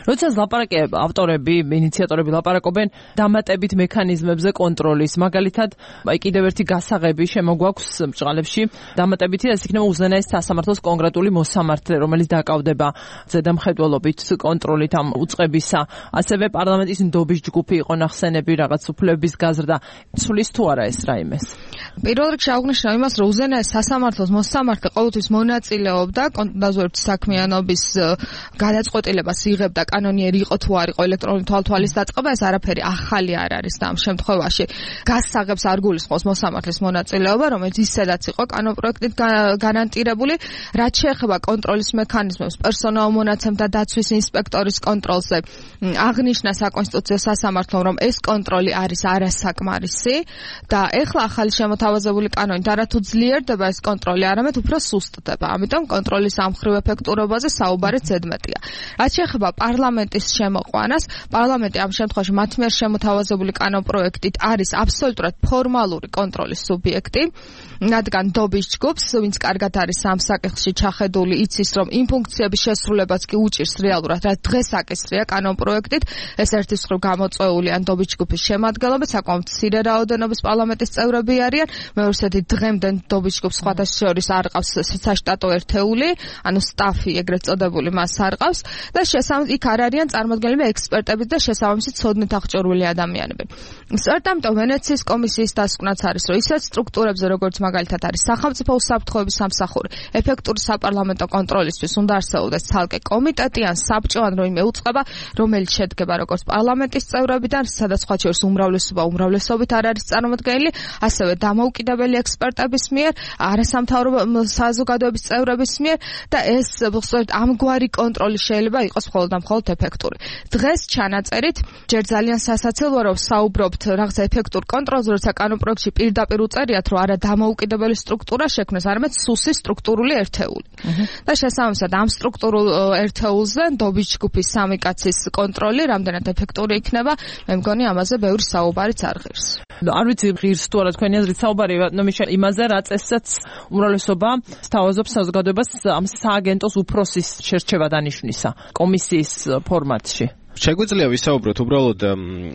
S4: როცა ლაპარაკია ავტორები, ინიციატორები ლაპარაკობენ დამატებით მექანიზმებზე კონტროლის, მაგალითად, აი კიდევ ერთი გასაღები შემოგვაქვს ბჭყალებში, დამატებითი ეს იქნება უზენაეს სასამართლოს კონკრეტული მოსამართლე, რომელიც დაკავდება ზედამხედველობით კონტროლით ამ უწყებისა, ასევე პარლამენტის ნდობის ჯგუფი იყო ნახსენები რაღაც უფლებების გაზრდა. ცulis თუ არა ეს რაიმეს?
S8: პირველ რიგში აღნიშნავ იმას, რომ უზენაეს სასამართლოს მოსამართლე ყოველთვის მონაწილეობდა დაზვერვის საქმიანობის გადაწყვეტილებას იღებდა კანონიერი იყო თუ არ იყო ელექტრონული თვალთვალის დაწყება, ეს არაფერი ახალი არ არის და ამ შემთხვევაში გასაღებს არ გულისხმობს მოსამართლის მონაწილეობა, რომელიც ისედაც იყო კანონპროექტით გარანტირებული, რაც შეეხება კონტროლის მექანიზმებს, პერსონალ მონაცემთა დაცვის ინსპექტორის კონტროლზე. აღნიშნა საკონსტიტუციო სასამართლომ, რომ ეს კონტროლი არის არასაკმარისი და ეხლა ახალი შემოთავაზებული კანონით არათუ ძლიერდება ეს კონტროლი, არამედ უფრო სუსტდება. ამიტომ კონტროლის ამხრივ ეფექტურობაზე საუბარი ზედმეტია. რაც შეეხება პარლამენტის შემოყვანას, პარლამენტი ამ შემთხვევაში მათ მიერ შემოთავაზებული კანონპროექტით არის აბსოლუტურად ფორმალური კონტროლის სუბიექტი, რადგან ნდობის ჯგუფს, ვინც კარგად არის ამ საკითხში ჩახედული, იცის, რომ იმ ფუნქციების შესრულებას კი უჭირს რეალურად, რაც დღეს აკისრია კანონპროექტით, ეს ერთის მხრივ გამოწვეულია ნდობის ჯგუფის შემადგენლობით, საკმაოდ მცირე რაოდენობის პარლამენტის წევრები არიან, მეორედი დღემდე ნდობის ჯგუფს სხვათა შორის არ ყავს საშტატო ერთეული, ანუ სტაფი ეგრეთ წოდებული მას არ ყავს და შესაბამისად იქ არ არიან წარმოდგენილები ექსპერტები და შესაბამისად ცოდნით აღჭურვილი ადამიანები. სწორედ ამიტომ ვენეციის კომისიის დასკვნაც არის, რომ ისეთ სტრუქტურებზე, როგორც მაგალითად არის სახელმწიფო უსაფრთხოების სამსახური, ეფექტური საპარლამენტო კონტროლისთვის უნდა არსებობდეს ცალკე კომიტეტი ან საბჭო ან როიმე უწყება, რომელიც შედგება როგორც პარლამენტის წევრებიდან, სადაც სხვა შორის უმრავლესობით არ არის წარმოდგენილი, ასევე დამოუკიდებელი ექსპერტების მიერ, არასამთავრობო საზოგადოების წევრების მიერ და ეს სწორედ ამგვარი კონტროლი შეიძლება იყოს მხოლოდ და მხოლოდ ეფექტური. დღეს ჩანაწერით ჯერ ძალიან სასაცილოა, რომ საუბრობთ რაღაც ეფექტურ კონტროლზე, როცა კანონპროექტში პირდაპირ უწერიათ, რომ არა დამოუკიდებელი სტრუქტურა შექმნეს, არამედ სუსის სტრუქტურული ერთეული. და შესაბამისად ამ სტრუქტურულ ერთეულზე ნდობის ჯგუფის სამი კაცის კონტროლი რამდენად ეფექტური იქნება, მე მგონი ამაზე ბევრი საუბარიც არ ღირს.
S4: არ ვიცი ღირს თუ არა თქვენი აზრით საუბარი იმაზე, რა წესსაც უმრავლესობა სთავაზობს საზოგადოებას ამ სააგენტოს უფროსის შერჩევა დანიშვნისა კომისიის ფორმატში.
S5: შეგვიძლია ვისაუბროთ უბრალოდ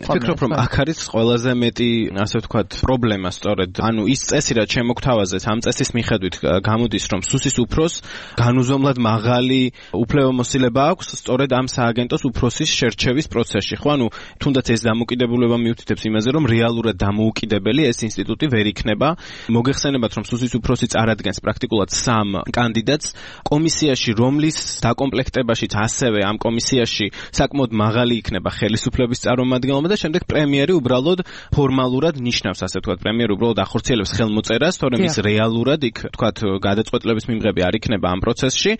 S5: ვფიქრობ რომ აქ არის ყველაზე მეტი ასე ვთქვათ პრობლემა სწორედ ანუ ის წესი რაც შემოგთავაზეს ამ წესის მიხედვით გამოდის რომ სუსის უფროს განუზომლად მაღალი უფლებამოსილება აქვს სწორედ ამ სააგენტოს უფროსის შერჩევის პროცესში ხო ანუ თუნდაც ეს დამოუკიდებლობა მიუთითებს იმაზე რომ რეალურად დამოუკიდებელი ეს ინსტიტუტი ვერ იქნება მოგეხსენებათ რომ სუსის უფროსი წარადგენს პრაქტიკულად 3 კანდიდატს კომისიაში რომლის დაკომპლექტებაშიც ასევე ამ კომისიაში საკმაოდ მაღალი იქნება ხელისუფლების წარმომადგენლობა და შემდეგ პრემიერი უბრალოდ ფორმალურად ნიშნავს ასე ვთქვათ პრემიერი უბრალოდ ახორციელებს ხელმოწერას თორემ ის რეალურად იქ ვთქვათ გადაწყვეტილების მიმღები არ იქნება ამ პროცესში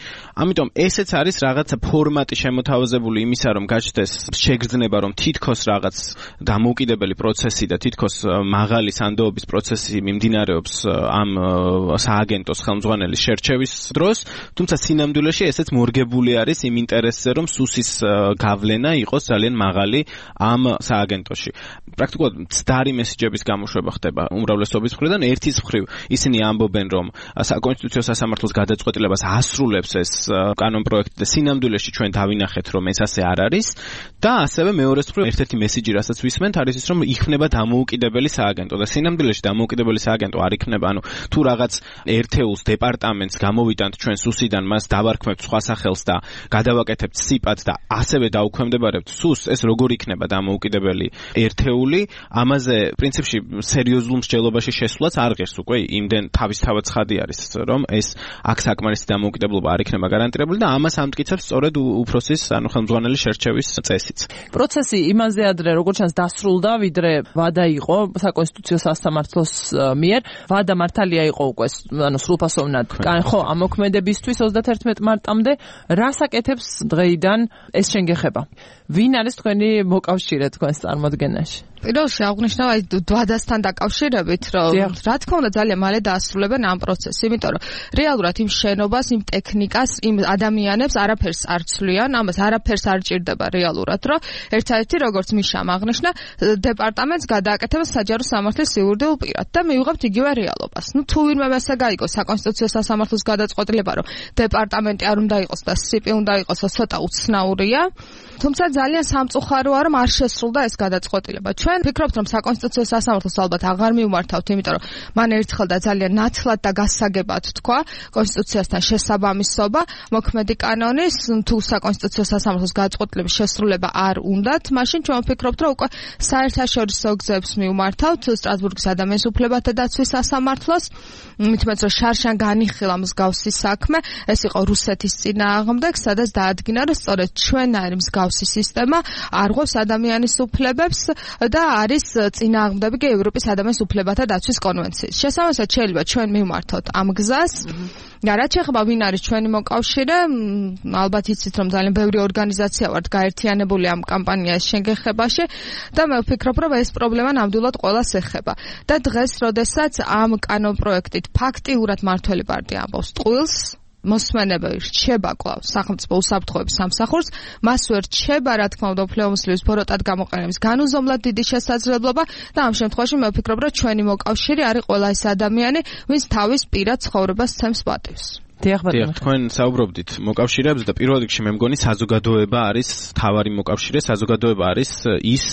S5: ამიტომ ესეც არის რაღაცა ფორმატი შემოთავაზებული იმისა რომ გაჩნდეს შეგრძნება რომ თითქოს რაღაც დამოუკიდებელი პროცესი და თითქოს მაღალი სანდოობის პროცესი მიმდინარეობს ამ სააგენტოს ხელმძღვანელის შერჩევის დროს თუმცა სინამდვილეში ესეც მორგებული არის იმ ინტერესზე რომ სუსის გავლენა იყოს ძალიან მაღალი ამ სააგენტოში. პრაქტიკულად მცდარი მესიჯების გამოშვება ხდება უმრავლესობის მხრიდან. ერთის მხრივ ისინი ამბობენ, რომ საკონსტიტუციო სასამართლოს გადაწყვეტილებას ასრულებს ეს კანონპროექტი და სინამდვილეში ჩვენ დავინახეთ, რომ ეს ასე არ არის და ასევე მეორეს მხრივ ერთ-ერთი მესიჯი, რასაც ვისმენთ, არის ის, რომ იქნება დამოუკიდებელი სააგენტო და სინამდვილეში დამოუკიდებელი სააგენტო არ იქნება, ანუ თუ რაღაც ერთეულს დეპარტამენტს გამოვიტანთ ჩვენ სუსიდან, მას დავარქმევთ სხვა სახელს და გადავაკეთებთ სიპად და ასევე დაუქვემდებარებთ სუსს, ეს როგორ იქნება დამოუკიდებელი ერთეული, ამაზე პრინციპში სერიოზულ მსჯელობაში შესვლაც არ ღირს უკვე, იმდენ თავისთავად ცხადი არის, რომ ეს აქ საკმარისი დამოუკიდებლობა არ იქნება გარანტირებული და ამას ამტკიცებს სწორედ უფროსის, ანუ ხელმძღვანელის შერჩევის წესიც.
S4: პროცესი იმაზე ადრე როგორც ჩანს დასრულდა, ვიდრე ვადა იყო საკონსტიტუციო სასამართლოს მიერ, ვადა მართალია იყო უკვე, ანუ სრულფასოვნად. ხო, ამ მოქმედებისთვის 31 მარტამდე რას აკეთებს დღეიდან ეს შენგეხება? ვინ არის თქვენი მოკავშირე თქვენს წარმოდგენაში?
S8: პირველში აღნიშნავ აი დვადასთან დაკავშირებით, რომ რა თქმა უნდა ძალიან მალე დაასრულებენ ამ პროცესს, იმიტომ რომ რეალურად იმ შენობას, იმ ტექნიკას, იმ ადამიანებს არაფერს არ ცვლიან, ამას არაფერს არ ჭირდება რეალურად, რომ ერთ-ერთი როგორც მიშამ აღნიშნა, დეპარტამენტს გადააკეთება საჯარო სამართლის სიურდილ პირად და მივიღებთ იგივე რეალობას. ნუ თუ ვინმე მასა გაიგოს საკონსტიტუციო სასამართლოს გადაწყვეტილება, რომ დეპარტამენტი არ უნდა იყოს და სიპი უნდა იყოს, ცოტა უცნაურია. თუმცა ძალიან სამწუხაროა, რომ არ შესრულდა ეს გადაწყვეტილება. ჩვენ ვფიქრობთ, რომ საკონსტიტუციო სასამართლოს ალბათ აღარ მივმართავთ, იმიტომ რომ მან ერთხელ და ძალიან ნათლად და გასაგებად თქვა კონსტიტუციასთან შესაბამისობა, მოქმედი კანონის, თუ საკონსტიტუციო სასამართლოს გადაწყვეტილების შესრულება არ უნდათ, მაშინ ჩვენ ვფიქრობთ, რომ უკვე საერთაშორისო გზებს მივმართავთ სტრასბურგის ადამიანის უფლებათა დაცვის სასამართლოს, მithumet რომ შარშან განიხილა მსგავსი საქმე, ეს იყო რუსეთის წინააღმდეგ, სადაც დაადგინა, რომ სწორედ ჩვენაირი მსგავსი სისტემა არღვევს ადამიანის უფლებებს და არის წინააღმდეგი კი ევროპის ადამიანის უფლებათა დაცვის კონვენციის. შესაბამისად, შეიძლება ჩვენ მივმართოთ ამ გზას. რაც ეხება ვინ არის ჩვენი მოკავშირე, ალბათ იცით, რომ ძალიან ბევრი ორგანიზაცია ვართ გაერთიანებული ამ კამპანიას შენგეხებაში და მე ვფიქრობ, რომ ეს პრობლემა ნამდვილად ყველას ეხება. და დღეს, როდესაც ამ კანონპროექტით ფაქტიურად მართველი პარტია ამბობს ტყუილს, მოსმენები რჩება კვლავ სახელმწიფო უსაფრთხოების სამსახურს, მას ვერ რჩება, რა თქმა უნდა, უფლებამოსილების ბოროტად გამოყენების განუზომლად დიდი შესაძლებლობა და ამ შემთხვევაში მე ვფიქრობ, რომ ჩვენი მოკავშირე არის ყველა ეს ადამიანი, ვინც თავის პირად ცხოვრებას ცემს პატივს.
S5: თქვენ საუბრობდით მოკავშირეებზე და პირველ რიგში მე მგონი საზოგადოება არის თავარი მოკავშირე, საზოგადოება არის ის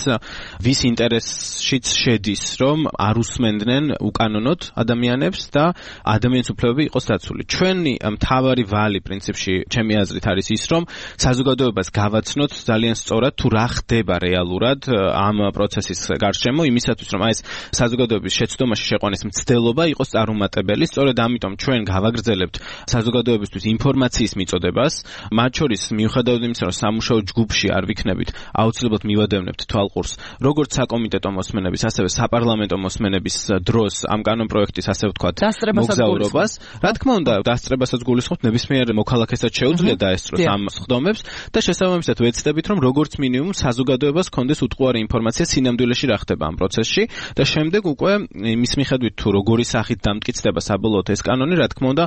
S5: ვის ინტერესშიც შედის, რომ არ უსმენდნენ უკანონოდ ადამიანებს და ადამიანის უფლებები იყოს დაცული. ჩვენი თავარი ვალი პრინციპში ჩემი აზრით არის ის, რომ საზოგადოებას გავაცნოთ ძალიან სწორად თუ რა ხდება რეალურად ამ პროცესის გარშემო, იმისათვის რომ ეს საზოგადოების შეცდომაში შეყვანის მცდელობა იყოს წარუმატებელი. სწორედ ამიტომ ჩვენ გავაგრძელებთ საზოგადოებისთვის ინფორმაციის მიწოდებას, მათ შორის მიუხედავად იმისა, რომ სამუშაო ჯგუფში არ ვიქნებით, აუცილებლად მივადევნებთ თვალყურს, როგორც საკომიტეტო მოსმენების, ასევე საპარლამენტო მოსმენების დროს ამ კანონპროექტის, ასე ვთქვათ, მოგზაურობას. რა თქმა უნდა, დასწრებასაც გულისხმობთ, ნებისმიერ მოქალაქესაც შეუძლია დაესწროს ამ სხდომებს და შესაბამისად ვეცდებით, რომ როგორც მინიმუმ საზოგადოებას ჰქონდეს უტყუარი ინფორმაცია სინამდვილეში რა ხდება ამ პროცესში და შემდეგ უკვე იმის მიხედვით თუ როგორი სახით დამტკიცდება საბოლოოდ ეს კანონი, რა თქმა უნდა,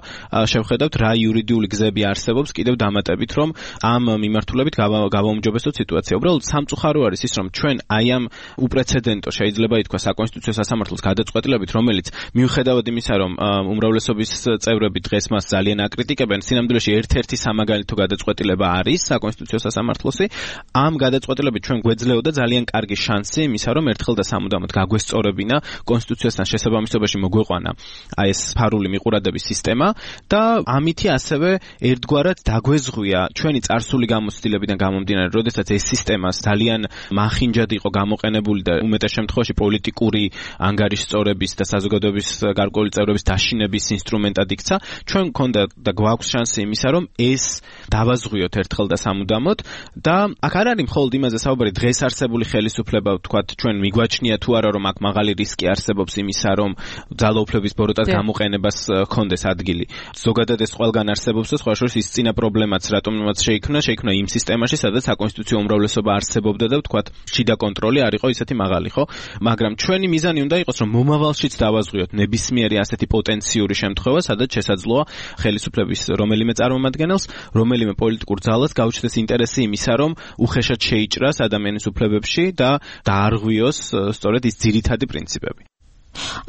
S5: შევხედავთ რა იურიდიული გზები არსებობს კიდევ დამატებით, რომ ამ მიმართულებით გავაუმჯობესოთ სიტუაცია. უბრალოდ სამწუხარო არის ის, რომ ჩვენ აი ამ უპრეცედენტო შეიძლება ითქვა საკონსტიტუციო სასამართლოს გადაწყვეტილებით, რომელიც მიუხედავად იმისა, რომ უმრავლესობის წევრები დღეს მას ძალიან აკრიტიკებენ, სინამდვილეში ერთ-ერთი სამაგალითო გადაწყვეტილება არის საკონსტიტუციო სასამართლოსი. ამ გადაწყვეტილებით ჩვენ გვეძლეოდა ძალიან კარგი შანსი იმისა, რომ ერთხელ და სამუდამოდ გაგვესწორებინა კონსტიტუციასთან შესაბამისობაში მოგვეყვანა აი ეს ფარული მიყურადების სისტემა და ამითი ასევე ერთგვარად დაგვეზღვია ჩვენი წარსული გამოცდილებიდან გამომდინარე, როდესაც ეს სისტემა ძალიან მახინჯად იყო გამოყენებული და უმეტეს შემთხვევაში პოლიტიკური ანგარიშსწორების და საზოგადოების გარკვეული წევრების დაშინების ინსტრუმენტად იქცა. ჩვენ გქონდა და გვაქვს შანსი იმისა, რომ ეს დავაზღვიოთ ერთხელ და სამუდამოდ და აქ არ არის მხოლოდ იმაზე საუბარი დღეს არსებული ხელისუფლება, ვთქვათ, ჩვენ მიგვაჩნია თუ არა, რომ აქ მაღალი რისკი არსებობს იმისა, რომ ძალაუფლების ბოროტად გამოყენებას ჰქონდეს ადგილი. ზოგადად ეს ყველგან არსებობს და სხვა შორის ის წინა პრობლემაც რატომაც შეიქმნა იმ სისტემაში, სადაც საკონსტიტუციო უმრავლესობა არსებობდა და ვთქვათ, შიდა კონტროლი არ იყო ისეთი მაღალი, ხო? მაგრამ ჩვენი მიზანი უნდა იყოს, რომ მომავალშიც დავაზღვიოთ ნებისმიერი ასეთი პოტენციური შემთხვევა, სადაც შესაძლოა ხელისუფლების რომელიმე წარმომადგენელს, რომელიმე პოლიტიკურ ძალას გაუჩნდეს ინტერესი იმისა, რომ უხეშად შეიჭრას ადამიანის უფლებებში და დაარღვიოს სწორედ ის ძირითადი პრინციპები.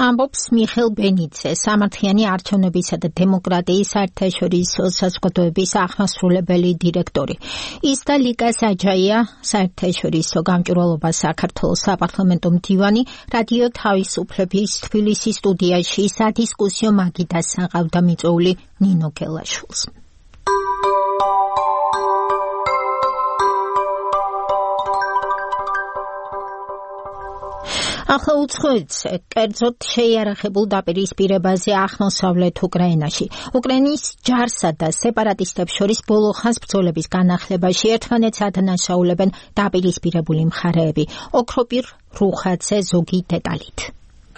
S2: ამბობს მიხეილ ბენიცე, სამართლიანი არჩევნებისა და დემოკრატიის საერთაშორისო საზოგადოების აღმასრულებელი დირექტორი. ის და ლიკა საჯაია, საერთაშორისო გამჭვირვალობა საქართველოს საპარლამენტო მდივანი, რადიო თავისუფლების თბილისის სტუდიაში სადისკუსიო მაგიდასთან ყავდა მიწვეული ნინო გელაშვილს. ახლა უცხოეთზე, კერძოდ შეიარაღებულ დაპირისპირებაზე აღმოსავლეთ უკრაინაში. უკრაინის ჯარსა და სეპარატისტებს შორის ბოლო ხანს ბრძოლების განახლებაში ერთმანეთს ადანაშაულებენ დაპირისპირებული მხარეები. ოქროპირ რუხაძე ზოგი დეტალით.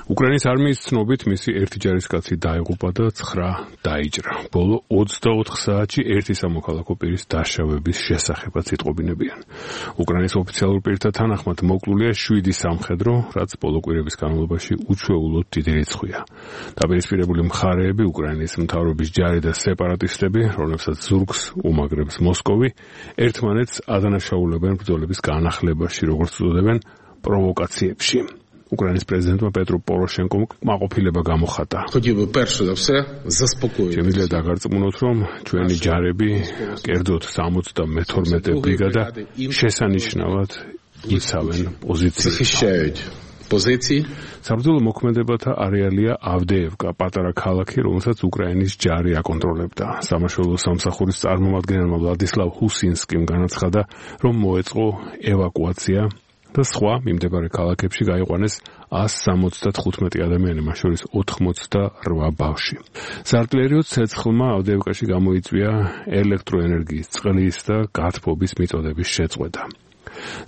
S14: უკრაინის არმიის ცნობით მისი ერთი ჯარისკაცი დაიღუპა და 9 დაიჭრა. ბოლო 24 საათში ერთი სამოქალაქო პირის დაშავების შესახებაც იტყობინებიან. უკრაინის ოფიციალურ პირთა თანახმად მოკლულია 7 სამხედრო, რაც ბოლო კვირების განმავლობაში უჩვეულოდ დიდი რიცხვია. დაპირისპირებული მხარეები, უკრაინის მთავრობის ჯარი და სეპარატისტები, რომლებსაც ზურგს უმაგრებს მოსკოვი, ერთმანეთს ადანაშაულებენ ბრძოლების განახლებაში, როგორც უწოდებენ, პროვოკაციებში. უკრაინის პრეზიდენტმა პეტრო პოროშენკომ კმაყოფილება გამოხატა. შემიძლია დაგარწმუნოთ, რომ ჩვენი ჯარები, კერძოდ 72 ბრიგადა, შესანიშნავად იცავენ პოზიციებს. საბრძოლო მოქმედებათა არეალია ავდეევკა, პატარა ქალაქი, რომელსაც უკრაინის ჯარი აკონტროლებდა. სამაშველო სამსახურის წარმომადგენელმა ვლადისლავ ჰუსინსკიმ განაცხადა, რომ მოეწყო ევაკუაცია და სხვა მიმდებარე ქალაქებში გაიყვანეს 175 ადამიანი, მათ შორის 88 ბავშვი. საარტილერიო ცეცხლმა ავდეევკაში გამოიწვია ელექტროენერგიის, წყლის და გათბობის მიწოდების შეწყვეტა.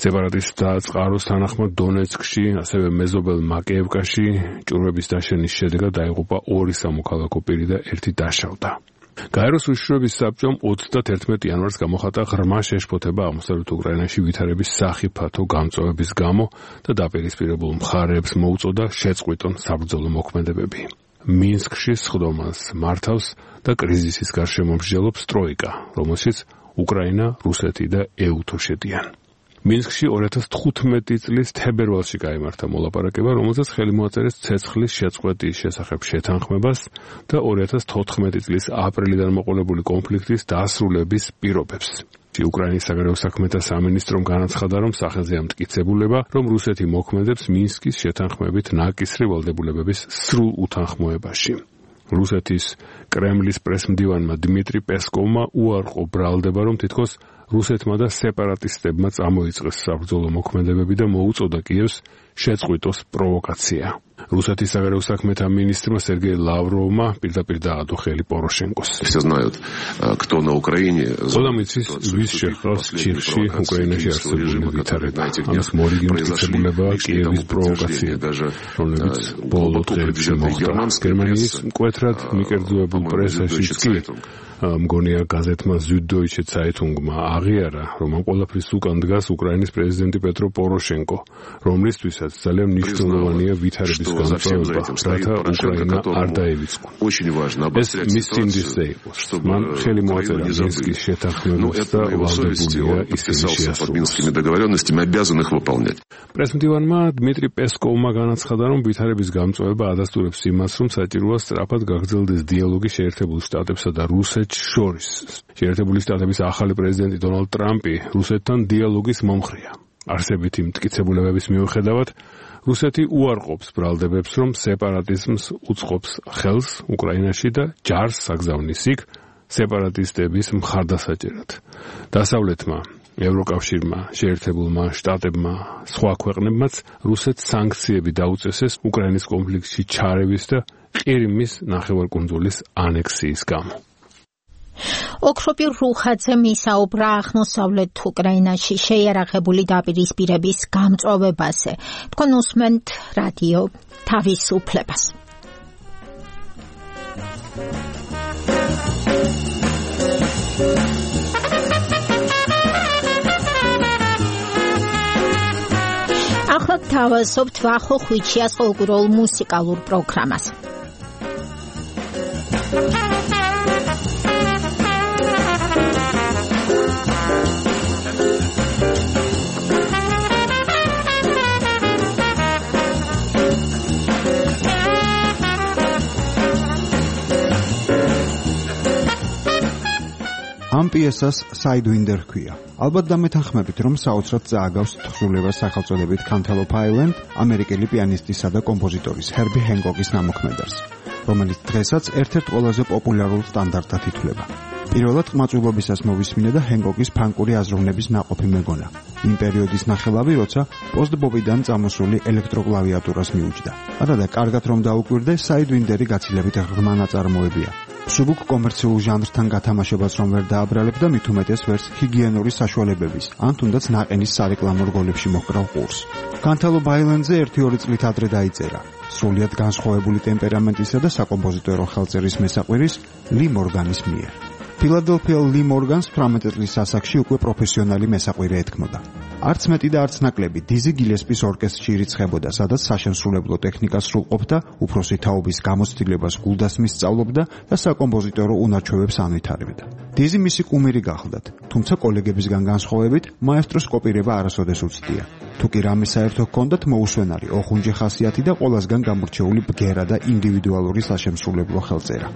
S14: სეპარატისტთა წყაროს თანახმად დონეცკში, ასევე მეზობელ მაკეევკაში ჭურვების დაშენის შედეგად დაიღუპა 2 სამოქალაქო პირი და 1 დაშავდა. გაეროს უშიშროების საბჭომ 31 იანვარს გამოხატა ღრმა შეშფოთება აღმოსავლეთ უკრაინაში ვითარების სახიფათო გამწვავების გამო და დაპირისპირებულ მხარეებს მოუწოდა შეწყვიტონ საბრძოლო მოქმედებები. მინსკში სხდომას მართავს და კრიზისის გარშემო მსჯელობს ტროიკა, რომელშიც უკრაინა, რუსეთი და ეუთო შედიან. მინსკში 2015 წლის თებერვალში გაიმართა მოლაპარაკება, რომელზეც ხელი მოაწერეს ცეცხლის შეწყვეტის შესახებ შეთანხმებას და 2014 წლის აპრილიდან მოყოლებული კონფლიქტის დასრულების პირობებს. უკრაინის საგარეო საქმეთა სამინისტრომ განაცხადა, რომ სახელზე ამტკიცებულება, რომ რუსეთი მოქმედებს მინსკის შეთანხმებით ნაკისრი ვალდებულებების სრულ უთანხმოებაში. რუსეთის კრემლის პრესმდივანმა დმიტრი პესკოვმა უარყო ბრალდება, რომ თითქოს რუსეთმა და სეპარატისტებმა წამოიწყეს საბრძოლო მოქმედებები და მოუწოდა კიევს შეწყვიტოს პროვოკაცია. რუსეთის საგარეო საქმეთა მინისტრმა სერგეი ლავროვმა პირდაპირ დაადო ხელი პოროშენკოს. ყველამ იცის, ვის შეჰყავს ჩიხში უკრაინაში არსებული ვითარება. ამას მორიგი მტკიცებულებაა კიევის პროვოკაცია, რომლებიც ბოლო დღეებში მოხდა. გერმანიის მკვეთრად მიკერძოებულ პრესაშიც კი მგონია გაზეთმა Süddeutsche Zeitungმა აღიარა, რომ ამ ყველაფრის უკან დგას უკრაინის პრეზიდენტი პეტრო პოროშენკო, რომლისთვისაც ძალიან მნიშვნელოვანია ვითარების განმავლობა, რათა უკრაინა არ დაივიწყო. ეს მის სინდისზე იყო. მან ხელი მოაწერა მინსკის შეთანხმებას და ვალდებულია ისინი შეასრულოს. პრესმდივანმა დმიტრი პესკოვმა განაცხადა, რომ ვითარების გამწვავება ადასტურებს იმას, რომ საჭიროა სწრაფად გაგრძელდეს დიალოგი შეერთებულ შტატებსა და რუსეთს შორის. შეერთებული შტატების ახალი პრეზიდენტი დონალდ ტრამპი რუსეთთან დიალოგის მომხრეა. არსებითი მტკიცებულებების მიუხედავად, რუსეთი უარყოფს ბრალდებებს, რომ სეპარატიზმს უწყობს ხელს უკრაინაში და ჯარს აგზავნის იქ სეპარატისტების მხარდასაჭერად. დასავლეთმა, ევროკავშირმა, შეერთებულმა შტატებმა, სხვა ქვეყნებმაც რუსეთს სანქციები დაუწესეს უკრაინის კონფლიქტში ჩარევის და ყირიმის ნახევარკუნძულის ანექსიის გამო.
S2: ოქროპირ რუხაძემ ისაუბრა აღმოსავლეთ უკრაინაში შეიარაღებული დაპირისპირების გამწვავებაზე. თქვენ უსმენთ რადიო თავისუფლებას. ახლა თავაზობთ ვახო ხვიჩიას ფოლკლორულ მუსიკალურ პროგრამას.
S9: ამ პიესას Sidewinder ჰქვია. ალბათ დამეთანხმებით, რომ საოცრად წააგავს თხზულებას სახელწოდებით Cantaloupe Island ამერიკელი პიანისტისა და კომპოზიტორის Herbie Hancock's ნამოქმედებს, რომელიც დღესაც ერთ-ერთ ყველაზე პოპულარულ სტანდარტად ითვლება. პირველად ყმაწვილობისას მოვისმინე და Hancock's ფანკური აზროვნების ნაყოფი მეგონა. იმ პერიოდის ნახელავი, როცა პოსტ-ბობიდან წამოსული ელექტროკლავიატურას მიუჯდა. არა და კარგად რომ დაუკვირდე, Sidewinderი გაცილებით ღრმა ნაწარმოებია. სუბუქ კომერციულ ჟანრთან გათამაშებას რომ ვერ დააბრალებ და მით უმეტეს ვერს ჰიგიენური საშუალებების, ან თუნდაც ნაყენის სარეკლამო რგოლებში მოჰკრავ ყურს. განთალობ აილენდზე 1-2 წლით ადრე დაიწერა. სრულიად განსხვავებული ტემპერამენტისა და საკომპოზიტორო ხელწერის მესაყვირის ლი მორგანის მიერ. ფილადელფიელ ლი მორგანს 18 წლის ასაკში უკვე პროფესიონალი მესაყვირე ეთქმოდა. არც მეტი და არც ნაკლები დიზი გილესპის ორკესტრში ირიცხებოდა, სადაც საშემსრულებლო ტექნიკა სრულყოფდა, უფროსი თაობის გამოცდილებას გულდასმის სწავლობდა და საკომპოზიტორო უნარჩვევებს ანვითარებდა. დიზი მისი კუმირი გახლდათ, თუმცა კოლეგებისგან განსხვავებით, მაესტროს კოპირება არასოდეს უცდია. თუ კი რამე საერთო ჰქონდათ, მოუსვენარი, ოხუნჯე ხასიათი და ყველასგან გამორჩეული ბგერა და ინდივიდუალური საშემსრულებლო ხელწერა.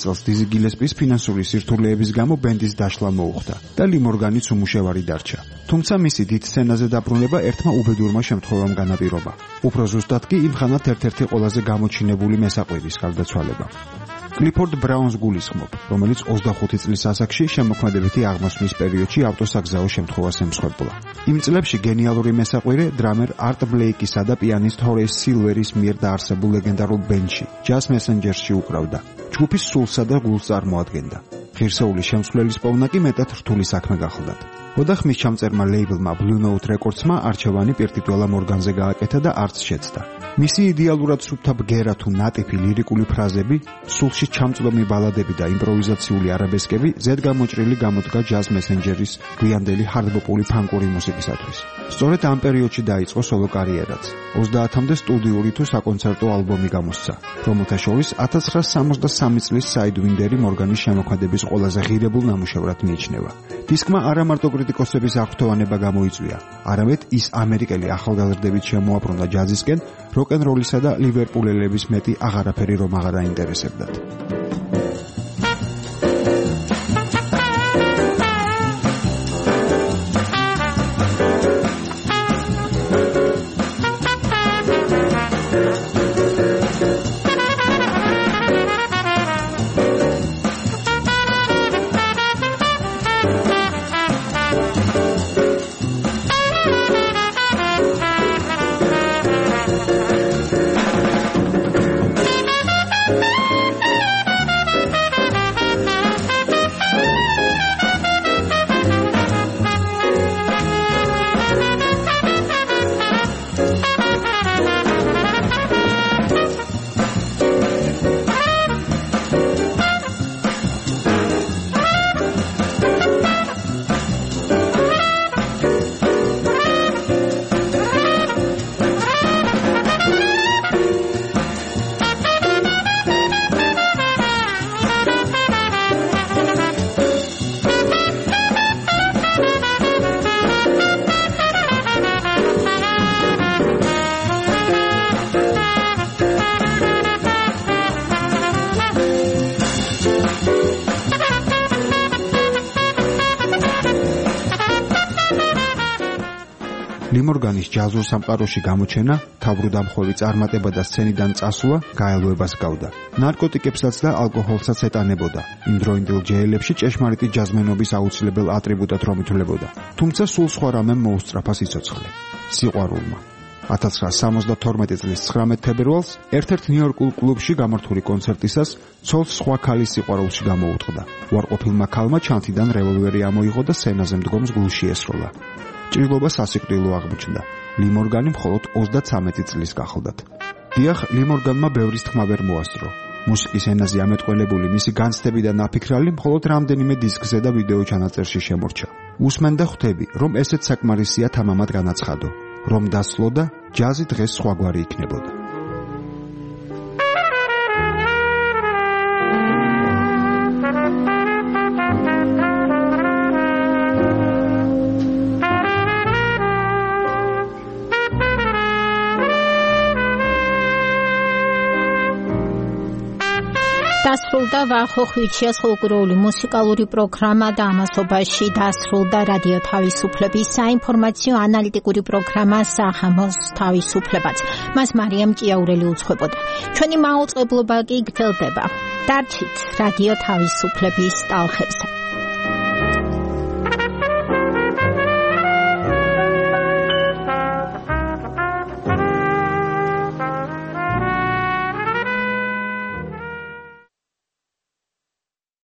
S9: წელს დიზი გილესპის ფინანსური სირთულეების გამო ბენდის დაშლა მოუხდა და ლი მორგანიც უმუშევარი დარჩა. თუმცა მისი დიდ სცენაზე დაბრუნება ერთმა უბედურმა შემთხვევამ განაპირობა. უფრო ზუსტად კი იმ ხანად ერთ-ერთი ყველაზე გამოჩინებული მესაყვირის გარდაცვალება. კლიფორდ ბრაუნს გულისხმობ, რომელიც 25 წლის ასაკში შემოქმედებითი აღმასვლის პერიოდში ავტოსაგზაო შემთხვევას ემსხვერპლა. იმ წლებში გენიალური მესაყვირე დრამერ არტ ბლეიკისა და პიანისტ ჰორეის სილვერის მიერ დაარსებულ ლეგენდარულ ბენდში, ჯაზ მესენჯერსში უკრავდა. ჯგუფის სულსა და გულს წარმოადგენდა. ღირსეული შემსვლელის პოვნა კი მეტად რთული საქმე გახლდათ. ოთახმის ჩამწერმა ლეიბლმა Blue Note Records-მა არჩევანი პირტიტუალა მორგანზე გააკეთა და არც შეცდა. მისი იდეალურად სუფთა ბგერა თუ ნატიფი ლირიკული ფრაზები, სულში ჩამწვდომი ბალადები და იმპროვიზაციული არაბესკები ზედგამოჭრილი გამოდგა ჯაზ მესენჯერის გვიანდელი ჰარდბოპული ფანკური მუსიკისათვის. სწორედ ამ პერიოდში დაიწყო სოლო კარიერაც. 30-მდე სტუდიური თუ საკონცერტო ალბომი გამოსცა, რომელთა შორის 1963 წლის Sidewinder-ი მორგანის შემოქმედების ყველაზე ღირებულ ნამუშევრად მიიჩნევა. დისკმა არა მარტო კრიტიკოსების აღფრთოვანება გამოიწვია, არამედ ის ამერიკელი ახალგაზრდებით შემოაბრუნდა ჯაზისკენ, როკ-ენ-როლისა და ლივერპულელების მეტი აღარაფერი რომ აღარ აინტერესებდათ. ლი მორგანის ჯაზურ სამყაროში გამოჩენა, თავბრუდამხვევი წარმატება და სცენიდან წასვლა გაელვებას გავდა. ნარკოტიკებსაც და ალკოჰოლსაც ეტანებოდა. იმ დროინდელ ჯეელებში ჭეშმარიტი ჯაზმენობის აუცილებელ ატრიბუტად რომ ითვლებოდა. თუმცა სულ სხვა რამემ მოუსწრაფა სიცოცხლე. სიყვარულმა. 1972 წლის 19 თებერვალს ერთ-ერთ ნიუ-იორკულ კლუბში გამართული კონცერტისას ცოლს სხვა ქალის სიყვარულში გამოუტყდა. უარყოფილმა ქალმა ჩანთიდან რევოლვერი ამოიღო და სცენაზე მდგომს გულში ესროლა. ჭრილობა სასიკვდილო აღმოჩნდა. ლი მორგანი მხოლოდ 33 წლის გახლდათ. დიახ, ლიმორგანმა ბევრის თქმა ვერ მოასწრო. მუსიკის ენაზე ამეტყველებული მისი განცდები და ნაფიქრალი მხოლოდ რამდენიმე დისკზე და ვიდეო ჩანაწერში შემორჩა. უსმენ და ხვდები, რომ ესეც საკმარისია თამამად განაცხადო, რომ დასლო და ჯაზი დღეს სხვაგვარი იქნებოდა.
S2: დასრულდა ვახო ხვიჩიას ფოლკლორული მუსიკალური პროგრამა და ამასობაში დასრულდა რადიო თავისუფლების საინფორმაციო ანალიტიკური პროგრამა სახამოს თავისუფლებაც. მას მარიამ ჭიაურელი უძღვებოდა. ჩვენი მაუწყებლობა კი გრძელდება. დარჩით რადიო თავისუფლების ტალხებზე.